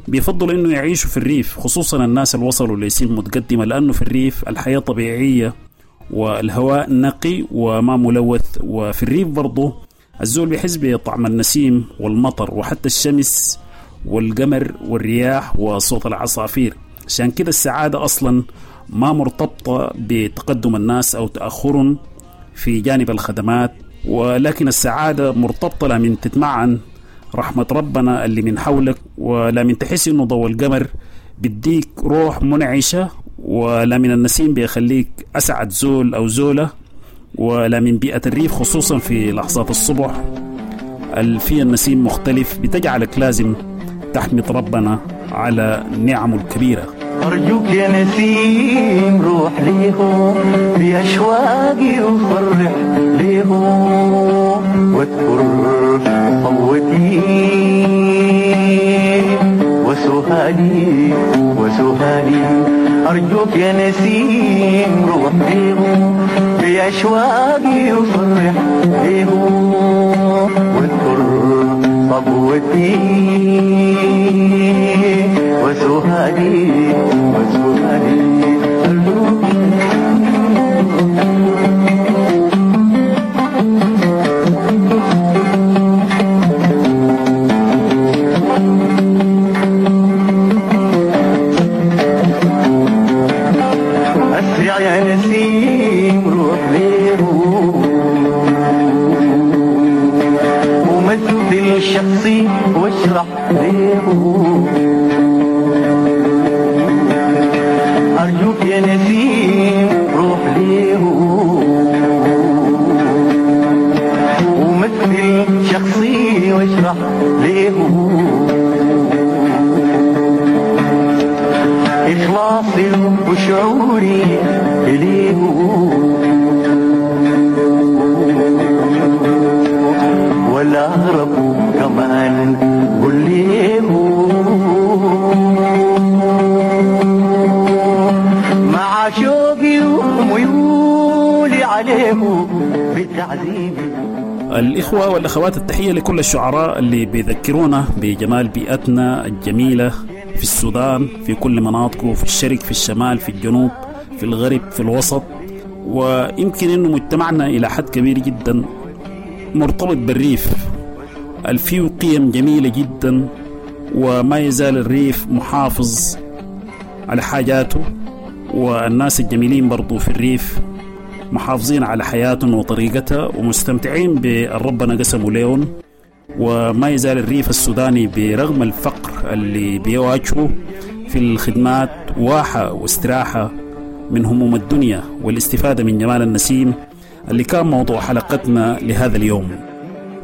بيفضلوا انه يعيشوا في الريف، خصوصا الناس اللي وصلوا لسن متقدمة، لانه في الريف الحياة طبيعية والهواء نقي وما ملوث. وفي الريف برضه الزول بيحس بطعم النسيم والمطر وحتى الشمس والقمر والرياح وصوت العصافير. عشان كده السعادة أصلا ما مرتبطة بتقدم الناس أو تأخرهم في جانب الخدمات، ولكن السعادة مرتبطة لمن تتمعن رحمة ربنا اللي من حولك، ولا من تحس إنه ضوء القمر بيديك روح منعشة، ولا من النسيم بيخليك أسعد زول أو زولة، ولا من بيئة الريف خصوصا في لحظات الصبح اللي فيها النسيم مختلف بتجعلك لازم تحمد ربنا على نعمه الكبيرة. أرجوك يا نسيم روح ليهم بأشواقي وفرح ليهم، واذكر صوتي وسهالي وسهالي. أرجوك يا نسيم روح ليهم بأشواقي وفرح ليهم، واذكر صبوتي وسهالي وسهالي. أسرع يا نسيم روح ليهم ومثل شخصي واشرح ليهم. أرجوك يا نسيم روح ليهم ومثل شخصي واشرح ليهم إخلاصي وشعوري إليه، ولا أهرب كمان قل ليه مع شوقي وميولي عليه بتعذيبي. الإخوة والأخوات، التحية لكل الشعراء اللي بيذكرونا بجمال بيئتنا الجميلة في السودان، في كل مناطقه، في الشرق، في الشمال، في الجنوب، في الغرب، في الوسط. ويمكن أنه مجتمعنا إلى حد كبير جدا مرتبط بالريف، فيه قيم جميلة جدا، وما يزال الريف محافظ على حاجاته، والناس الجميلين برضو في الريف محافظين على حياتهم وطريقتها ومستمتعين بالربنا قسمه ليهم. وما يزال الريف السوداني برغم الفقر اللي بيواجهه في الخدمات واحة واستراحة من هموم الدنيا والاستفادة من جمال النسيم اللي كان موضوع حلقتنا لهذا اليوم.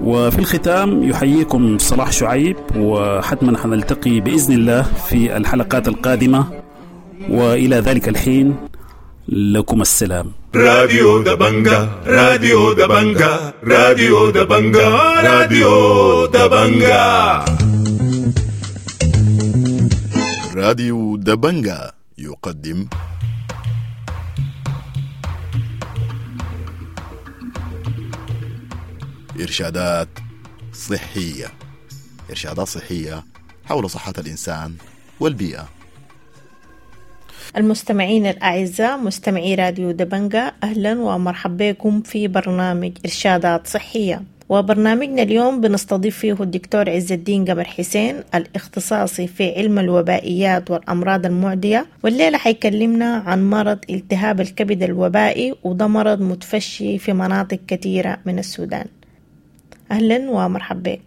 وفي الختام يحييكم صلاح شعيب، وحتما حنلتقي بإذن الله في الحلقات القادمة، وإلى ذلك الحين لكم السلام. راديو دبنجا، راديو دبنجا، راديو دبنجا، راديو دبنجا. راديو دبنجا يقدم إرشادات صحية، إرشادات صحية حول صحة الإنسان والبيئة. المستمعين الأعزاء، مستمعي راديو دبنجا، أهلا ومرحبا بكم في برنامج إرشادات صحية. وبرنامجنا اليوم بنستضيف فيه الدكتور عز الدين قمر حسين، الاختصاصي في علم الوبائيات والأمراض المعدية، والليلة حيكلمنا عن مرض التهاب الكبد الوبائي، وده مرض متفشي في مناطق كثيرة من السودان. أهلا ومرحبا بك.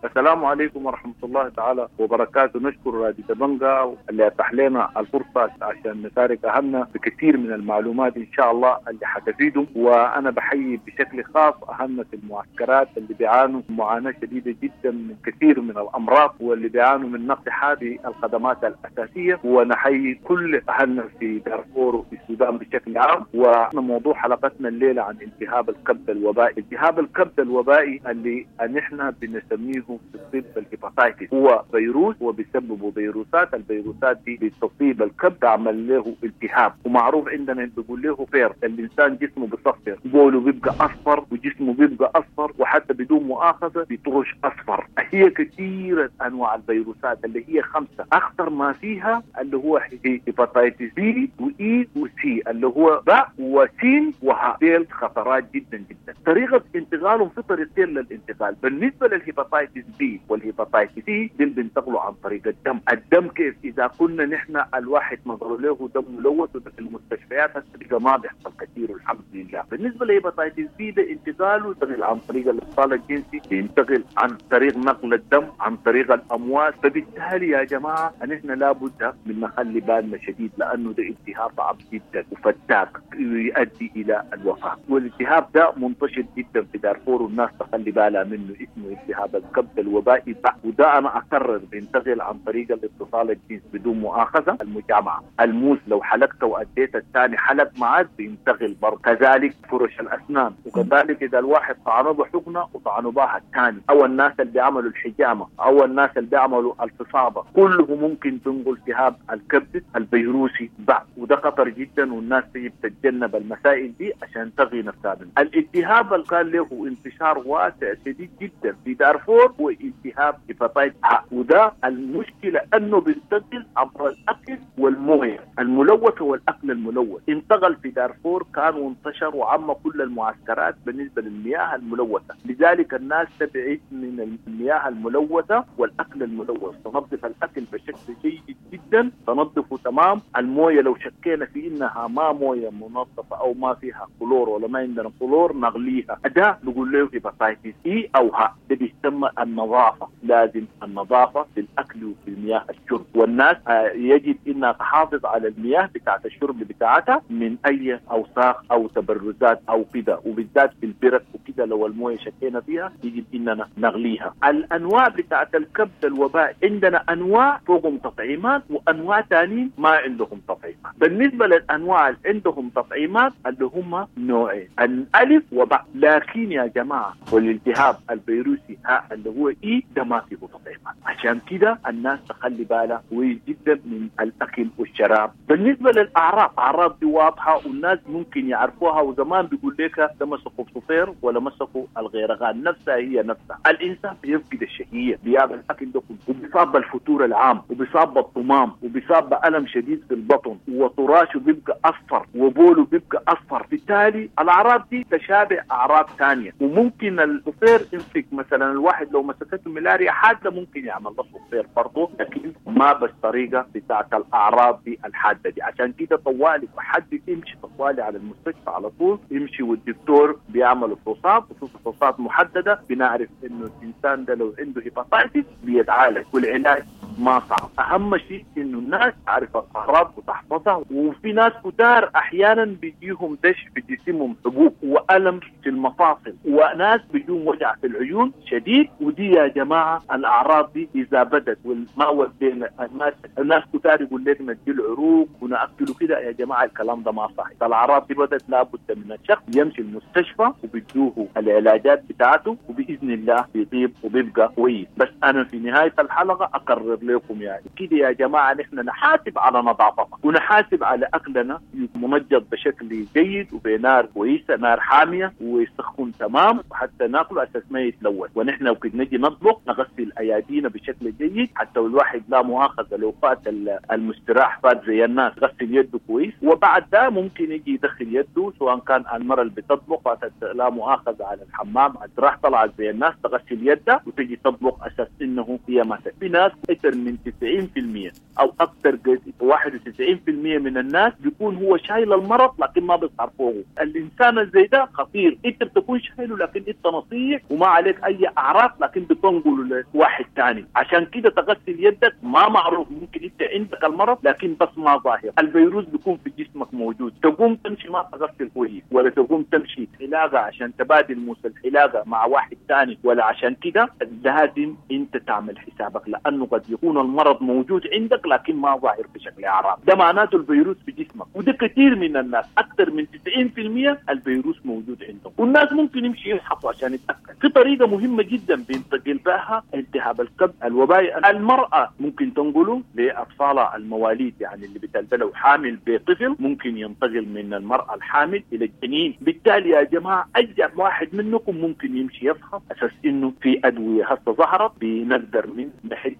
السلام عليكم ورحمة الله تعالى وبركاته. نشكر راديو دبنجا اللي أتاح لنا الفرصة عشان نشارك أهلنا بكثير من المعلومات إن شاء الله اللي حتفيدهم. وأنا بحيي بشكل خاص أهلنا في المعسكرات اللي بيعانوا معاناة شديدة جدا من كثير من الأمراض، واللي بيعانوا من نقص حاد الخدمات الأساسية. ونحيي كل أهلنا في دارفور وفي السودان بشكل عام. وموضوع حلقتنا الليلة عن التهاب الكبد الوبائي. التهاب الكبد الوبائي اللي نحن بنسميه بنعرفه في الطب ال hepatitis، هو فيروس وبيسببه فيروسات، الفيروسات دي بتصيب الكبد تعمل له التهاب، ومعروف عندنا بيقول له فير، الانسان جسمه بيصفر، بوله بيبقى اصفر وجسمه بيبقى اصفر، وحتى بدون مؤاخذة بيطرش اصفر. هي كثيرة انواع الفيروسات اللي هي 5، اخطر ما فيها اللي هو hepatitis B و E و C اللي هو باء وسين وهاء، ديل خطرات جدا جدا. طريقه انتقالهم في طريقتين للانتقال، بالنسبة لل hepatitis B وال hepatitis C ديل بينتقلوا عن طريق الدم. الدم كيف؟ اذا كنا نحن الواحد نظر له دم ملوث، وده في المستشفيات هسه ما بيحصل كثير والحمد لله. بالنسبة لل hepatitis B ده انتقاله ينتقل عن طريق الاتصال الجنسي، ينتقل عن طريق نقل الدم، عن طريق الامواس. فبالتالي يا جماعة نحن لابد من نخلي بالنا شديد، لانه ده التهاب صعب جدا وفتاك يؤدي الى الوفاة، والالتهاب ده منتشر جدا في دارفور والناس تخلي بالها منه، اسمه التهاب الكبد الوبائي باء. وده انا اكرر بينتقل عن طريق الاتصال الجنسي بدون مؤاخذة، المجامعه، الموس لو حلقت واديت الثاني حلق معك بينتقل برضه، كذلك فرش الاسنان، وكذلك اذا الواحد طعنه بحقنه وطعنه بها الثاني، او الناس اللي بيعملوا الحجامة او الناس اللي بيعملوا الفصابه، كله ممكن تنقل التهاب الكبد الفيروسي باء، وده خطر جدا والناس تجب تتجنب المسائل دي عشان تغي نفسها منه. الالتهاب اللي كان له انتشار واسع شديد جدا في دارفور هو التهاب hepatitis ه، وده المشكلة انه بينتقل عبر الاكل والمويه الملوثة والاكل الملوث. انتقل في دارفور كان وانتشر وعم كل المعسكرات بالنسبة للمياه الملوثة، لذلك الناس تبعد من المياه الملوثة والاكل الملوث، تنظف الاكل بشكل جيد جدا، تنظفه تمام. المويه لو شكينا في انها ما مويه منظفه او ما فيها كلور ولا ما عندنا كلور نغليها، ده نقول له hepatitis E او ه، ده بيسمى النظافة، لازم النظافة في الاكل وفي المياه الشرب، والناس يجب انها تحافظ على المياه بتاعت الشرب بتاعتها من اي اوساخ او تبرزات او كده، وبالذات في البرك وكده لو المويه شكينا فيها يجب اننا نغليها. الانواع بتاعت الكبد الوبائي عندنا انواع فوقهم تطعيمات وانواع ثانيين ما عندهم تطعيمات. بالنسبة للانواع اللي عندهم تطعيمات اللي هم نوعين، الالف وباء، لكن يا جماعة والالتهاب الفيروسي ها اللي هو E ده ما فيه تطعيمات، عشان كده الناس تخلي بالها كويس جدا من الاكل والشراب. بالنسبة للاعراض، اعراض دي واضحة والناس ممكن يعرفوها، وزمان بيقول لك ده مسكوا بصفير ولا مسكوا الغيرغان، نفسها هي نفسها. الانسان بيفقد الشهية، بيعمل الاكل ده كله، وبيصاب بالفتور العام، وبيصاب بالطمام، وبيصاب بألم شديد في البطن، وطراشه بيبقى اصفر، وبوله بيبقى اصفر. بالتالي الاعراض دي تشابه اعراض ثانية، وممكن الصفير يمسك مثلا الواحد لو مسكته ملاريا حادة ممكن يعمل له صفير برضه، لكن ما بالطريقة بتاعت الاعراض دي الحادة دي. عشان كده طوالي حد يمشي طوالي على المستشفى على طول يمشي، والدكتور بيعمل فحوصات، وفحوصات محددة بنعرف انه الانسان ده لو عنده hepatitis بيتعالج، والعلاج ما صعب. اهم شيء انه الناس تعرف الاعراض وتحفظها. وفي ناس كتار احيانا بيجيهم دش في جسمهم، حبوب والم في المفاصل، وناس بيجيهم وجع في العيون شديد. ودي يا جماعة الاعراض دي اذا بدت والما ودينا الناس كتار يقول لك ندي العروق وناكله كده، يا جماعة الكلام ده ما صح. الاعراض دي بدت لابد من الشخص يمشي المستشفى وبيدوه العلاجات بتاعته، وباذن الله بيطيب وبيبقى كويس. بس انا في نهاية الحلقة اقرر لكم يعني كده يا جماعة نحن نحاسب على نظافتنا ونحاسب على اكلنا منجد بشكل جيد وبنار كويسة، نار حامية ويسخن تمام، وحتى ناكله اساس ما يتلوث. ونحن وقت نجي نطبخ نغسل ايادينا بشكل جيد، حتى الواحد لا مؤاخذة لو فات المستراح فات زي الناس غسل يده كويس، وبعد ده ممكن يجي يدخل يده سواء كان المرة اللي بتطبخ فاتت لا مؤاخذة على الحمام راح طلعت زي الناس تغسل يدها وتجي تطبخ اساس انه هي ما. في ناس اكثر من 90% او اكثر 91% من الناس بيكون هو شايل المرض لكن ما بيظهر فوقه. الانسان زي ده خطير، انت بتكون شايله لكن انت نصيح وما عليك اي اعراض، لكن بتنقله لواحد ثاني. عشان كده تغسل يدك، ما معروف ممكن انت عندك المرض لكن بس ما ظاهر، الفيروس بيكون في جسمك موجود. تقوم تمشي ما تغسل كويس، ولا تقوم تمشي حلاقه عشان تبادل موس الحلاقة مع واحد ثاني، ولا عشان كده لازم انت انت تعمل حسابك، لانه قد يكون المرض موجود عندك لكن ما ظاهر بشكل اعراض. ده معناته الفيروس في جسمك، وده كثير من الناس اكثر من 90% الفيروس موجود عندهم، والناس ممكن يمشي يفحصوا عشان يتاكد. في طريقه مهمة جدا بينتقل بها التهاب الكبد الوبائي، المراة ممكن تنقله لاطفالها المواليد، يعني اللي بتلد لو حامل بطفل ممكن ينتقل من المراة الحامل الى الجنين. بالتالي يا جماعة اي واحد منكم ممكن يمشي يفحص اساس انه في ادوية هسه ظهرت بنقدر من نحل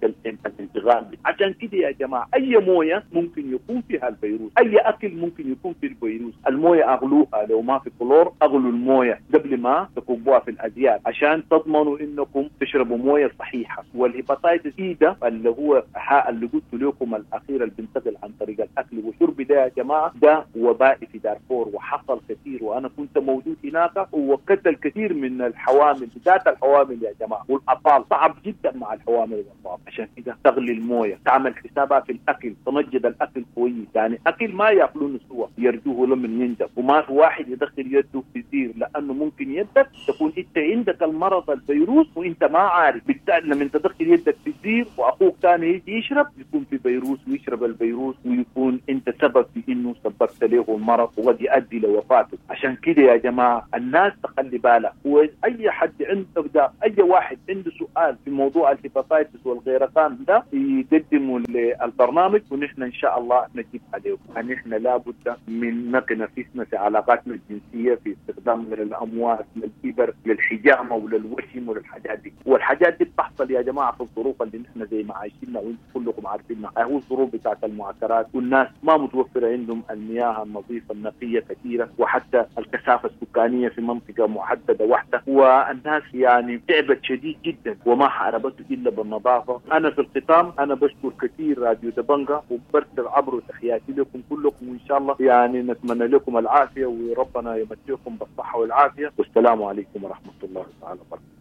الانتقال. عشان كده يا جماعة اي مويه ممكن يكون فيها الفيروس، اي اكل ممكن يكون فيه الفيروس. المويه اغلوها، لو ما في كلور اغلوا المويه قبل ما تكبوها في الازيال عشان تضمنوا انكم تشربوا مويه صحيحه. وال hepatitis E ده اللي هو اللي قلت لكم الاخير اللي بينتقل عن طريق الاكل والشرب ده يا جماعة، ده وبائي في دارفور وحصل كثير، وانا كنت موجود هناك وقتل كثير من الحوامل، بالذات الحوامل يا جماعة والاطفال، صعب جدا مع الحوامل والاطفال. عشان كده تغلي المويه، تعمل حسابها في الاكل، تنجد الاكل كويس، يعني اكل ما ياكلونه سوا يرجوه لمن ينجب، وما في واحد يدخل يده في زير، لانه ممكن يدك تكون انت عندك المرض الفيروس وانت ما عارف. بالتالي لما تدخل يدك في الزير واخوك ثاني يجي يشرب يكون في فيروس ويشرب الفيروس، ويكون انت سبب في انه سببت له المرض وقد يؤدي لوفاته. عشان كده يا جماعة الناس تخلي بالها، واي حد عنده ده، اي واحد عنده سؤال في موضوع ال hepatitis والغيرقان ده يقدمه للبرنامج ونحن ان شاء الله نجيب عليه. نحن لابد من نقي نفسنا في علاقاتنا الجنسية، في استخدامنا للاموات، للإبر، للحجامه وللوشم وللحاجات دي. والحاجات دي بتحصل يا جماعة في الظروف اللي نحن زي ما عايشينها وانتم كلكم عارفينها، هو الظروف بتاعت المعسكرات والناس ما متوفرة عندهم المياه النظيفة النقية كثيرة، وحتى الكثافة السكانية في منطقة محددة واحدة، والناس يعني تعبت شديد جدا وما حاربته الا بالنظافة. انا في الختام انا بشكر كثير راديو دبنجا وبرسل عبره تحياتي لكم كلكم، وان شاء الله يعني نتمنى لكم العافية وربنا يمتعكم بالصحة والعافية، والسلام عليكم ورحمة الله تعالى وبركاته.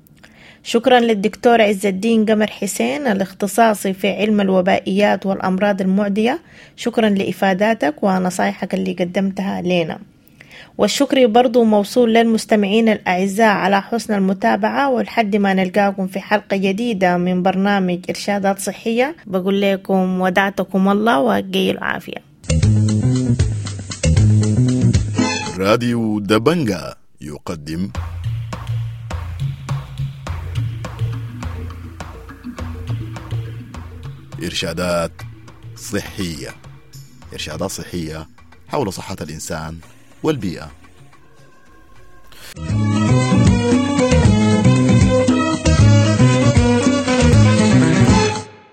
شكرا للدكتور عز الدين قمر حسين الاختصاصي في علم الوبائيات والأمراض المعدية، شكرا لإفاداتك ونصايحك اللي قدمتها لنا. والشكر برضو موصول للمستمعين الأعزاء على حسن المتابعة، ولحد ما نلقاكم في حلقة جديدة من برنامج إرشادات صحية بقول لكم ودعتكم الله وقي العافية. راديو دبنجا يقدم إرشادات صحية، إرشادات صحية حول صحة الإنسان والبيئة.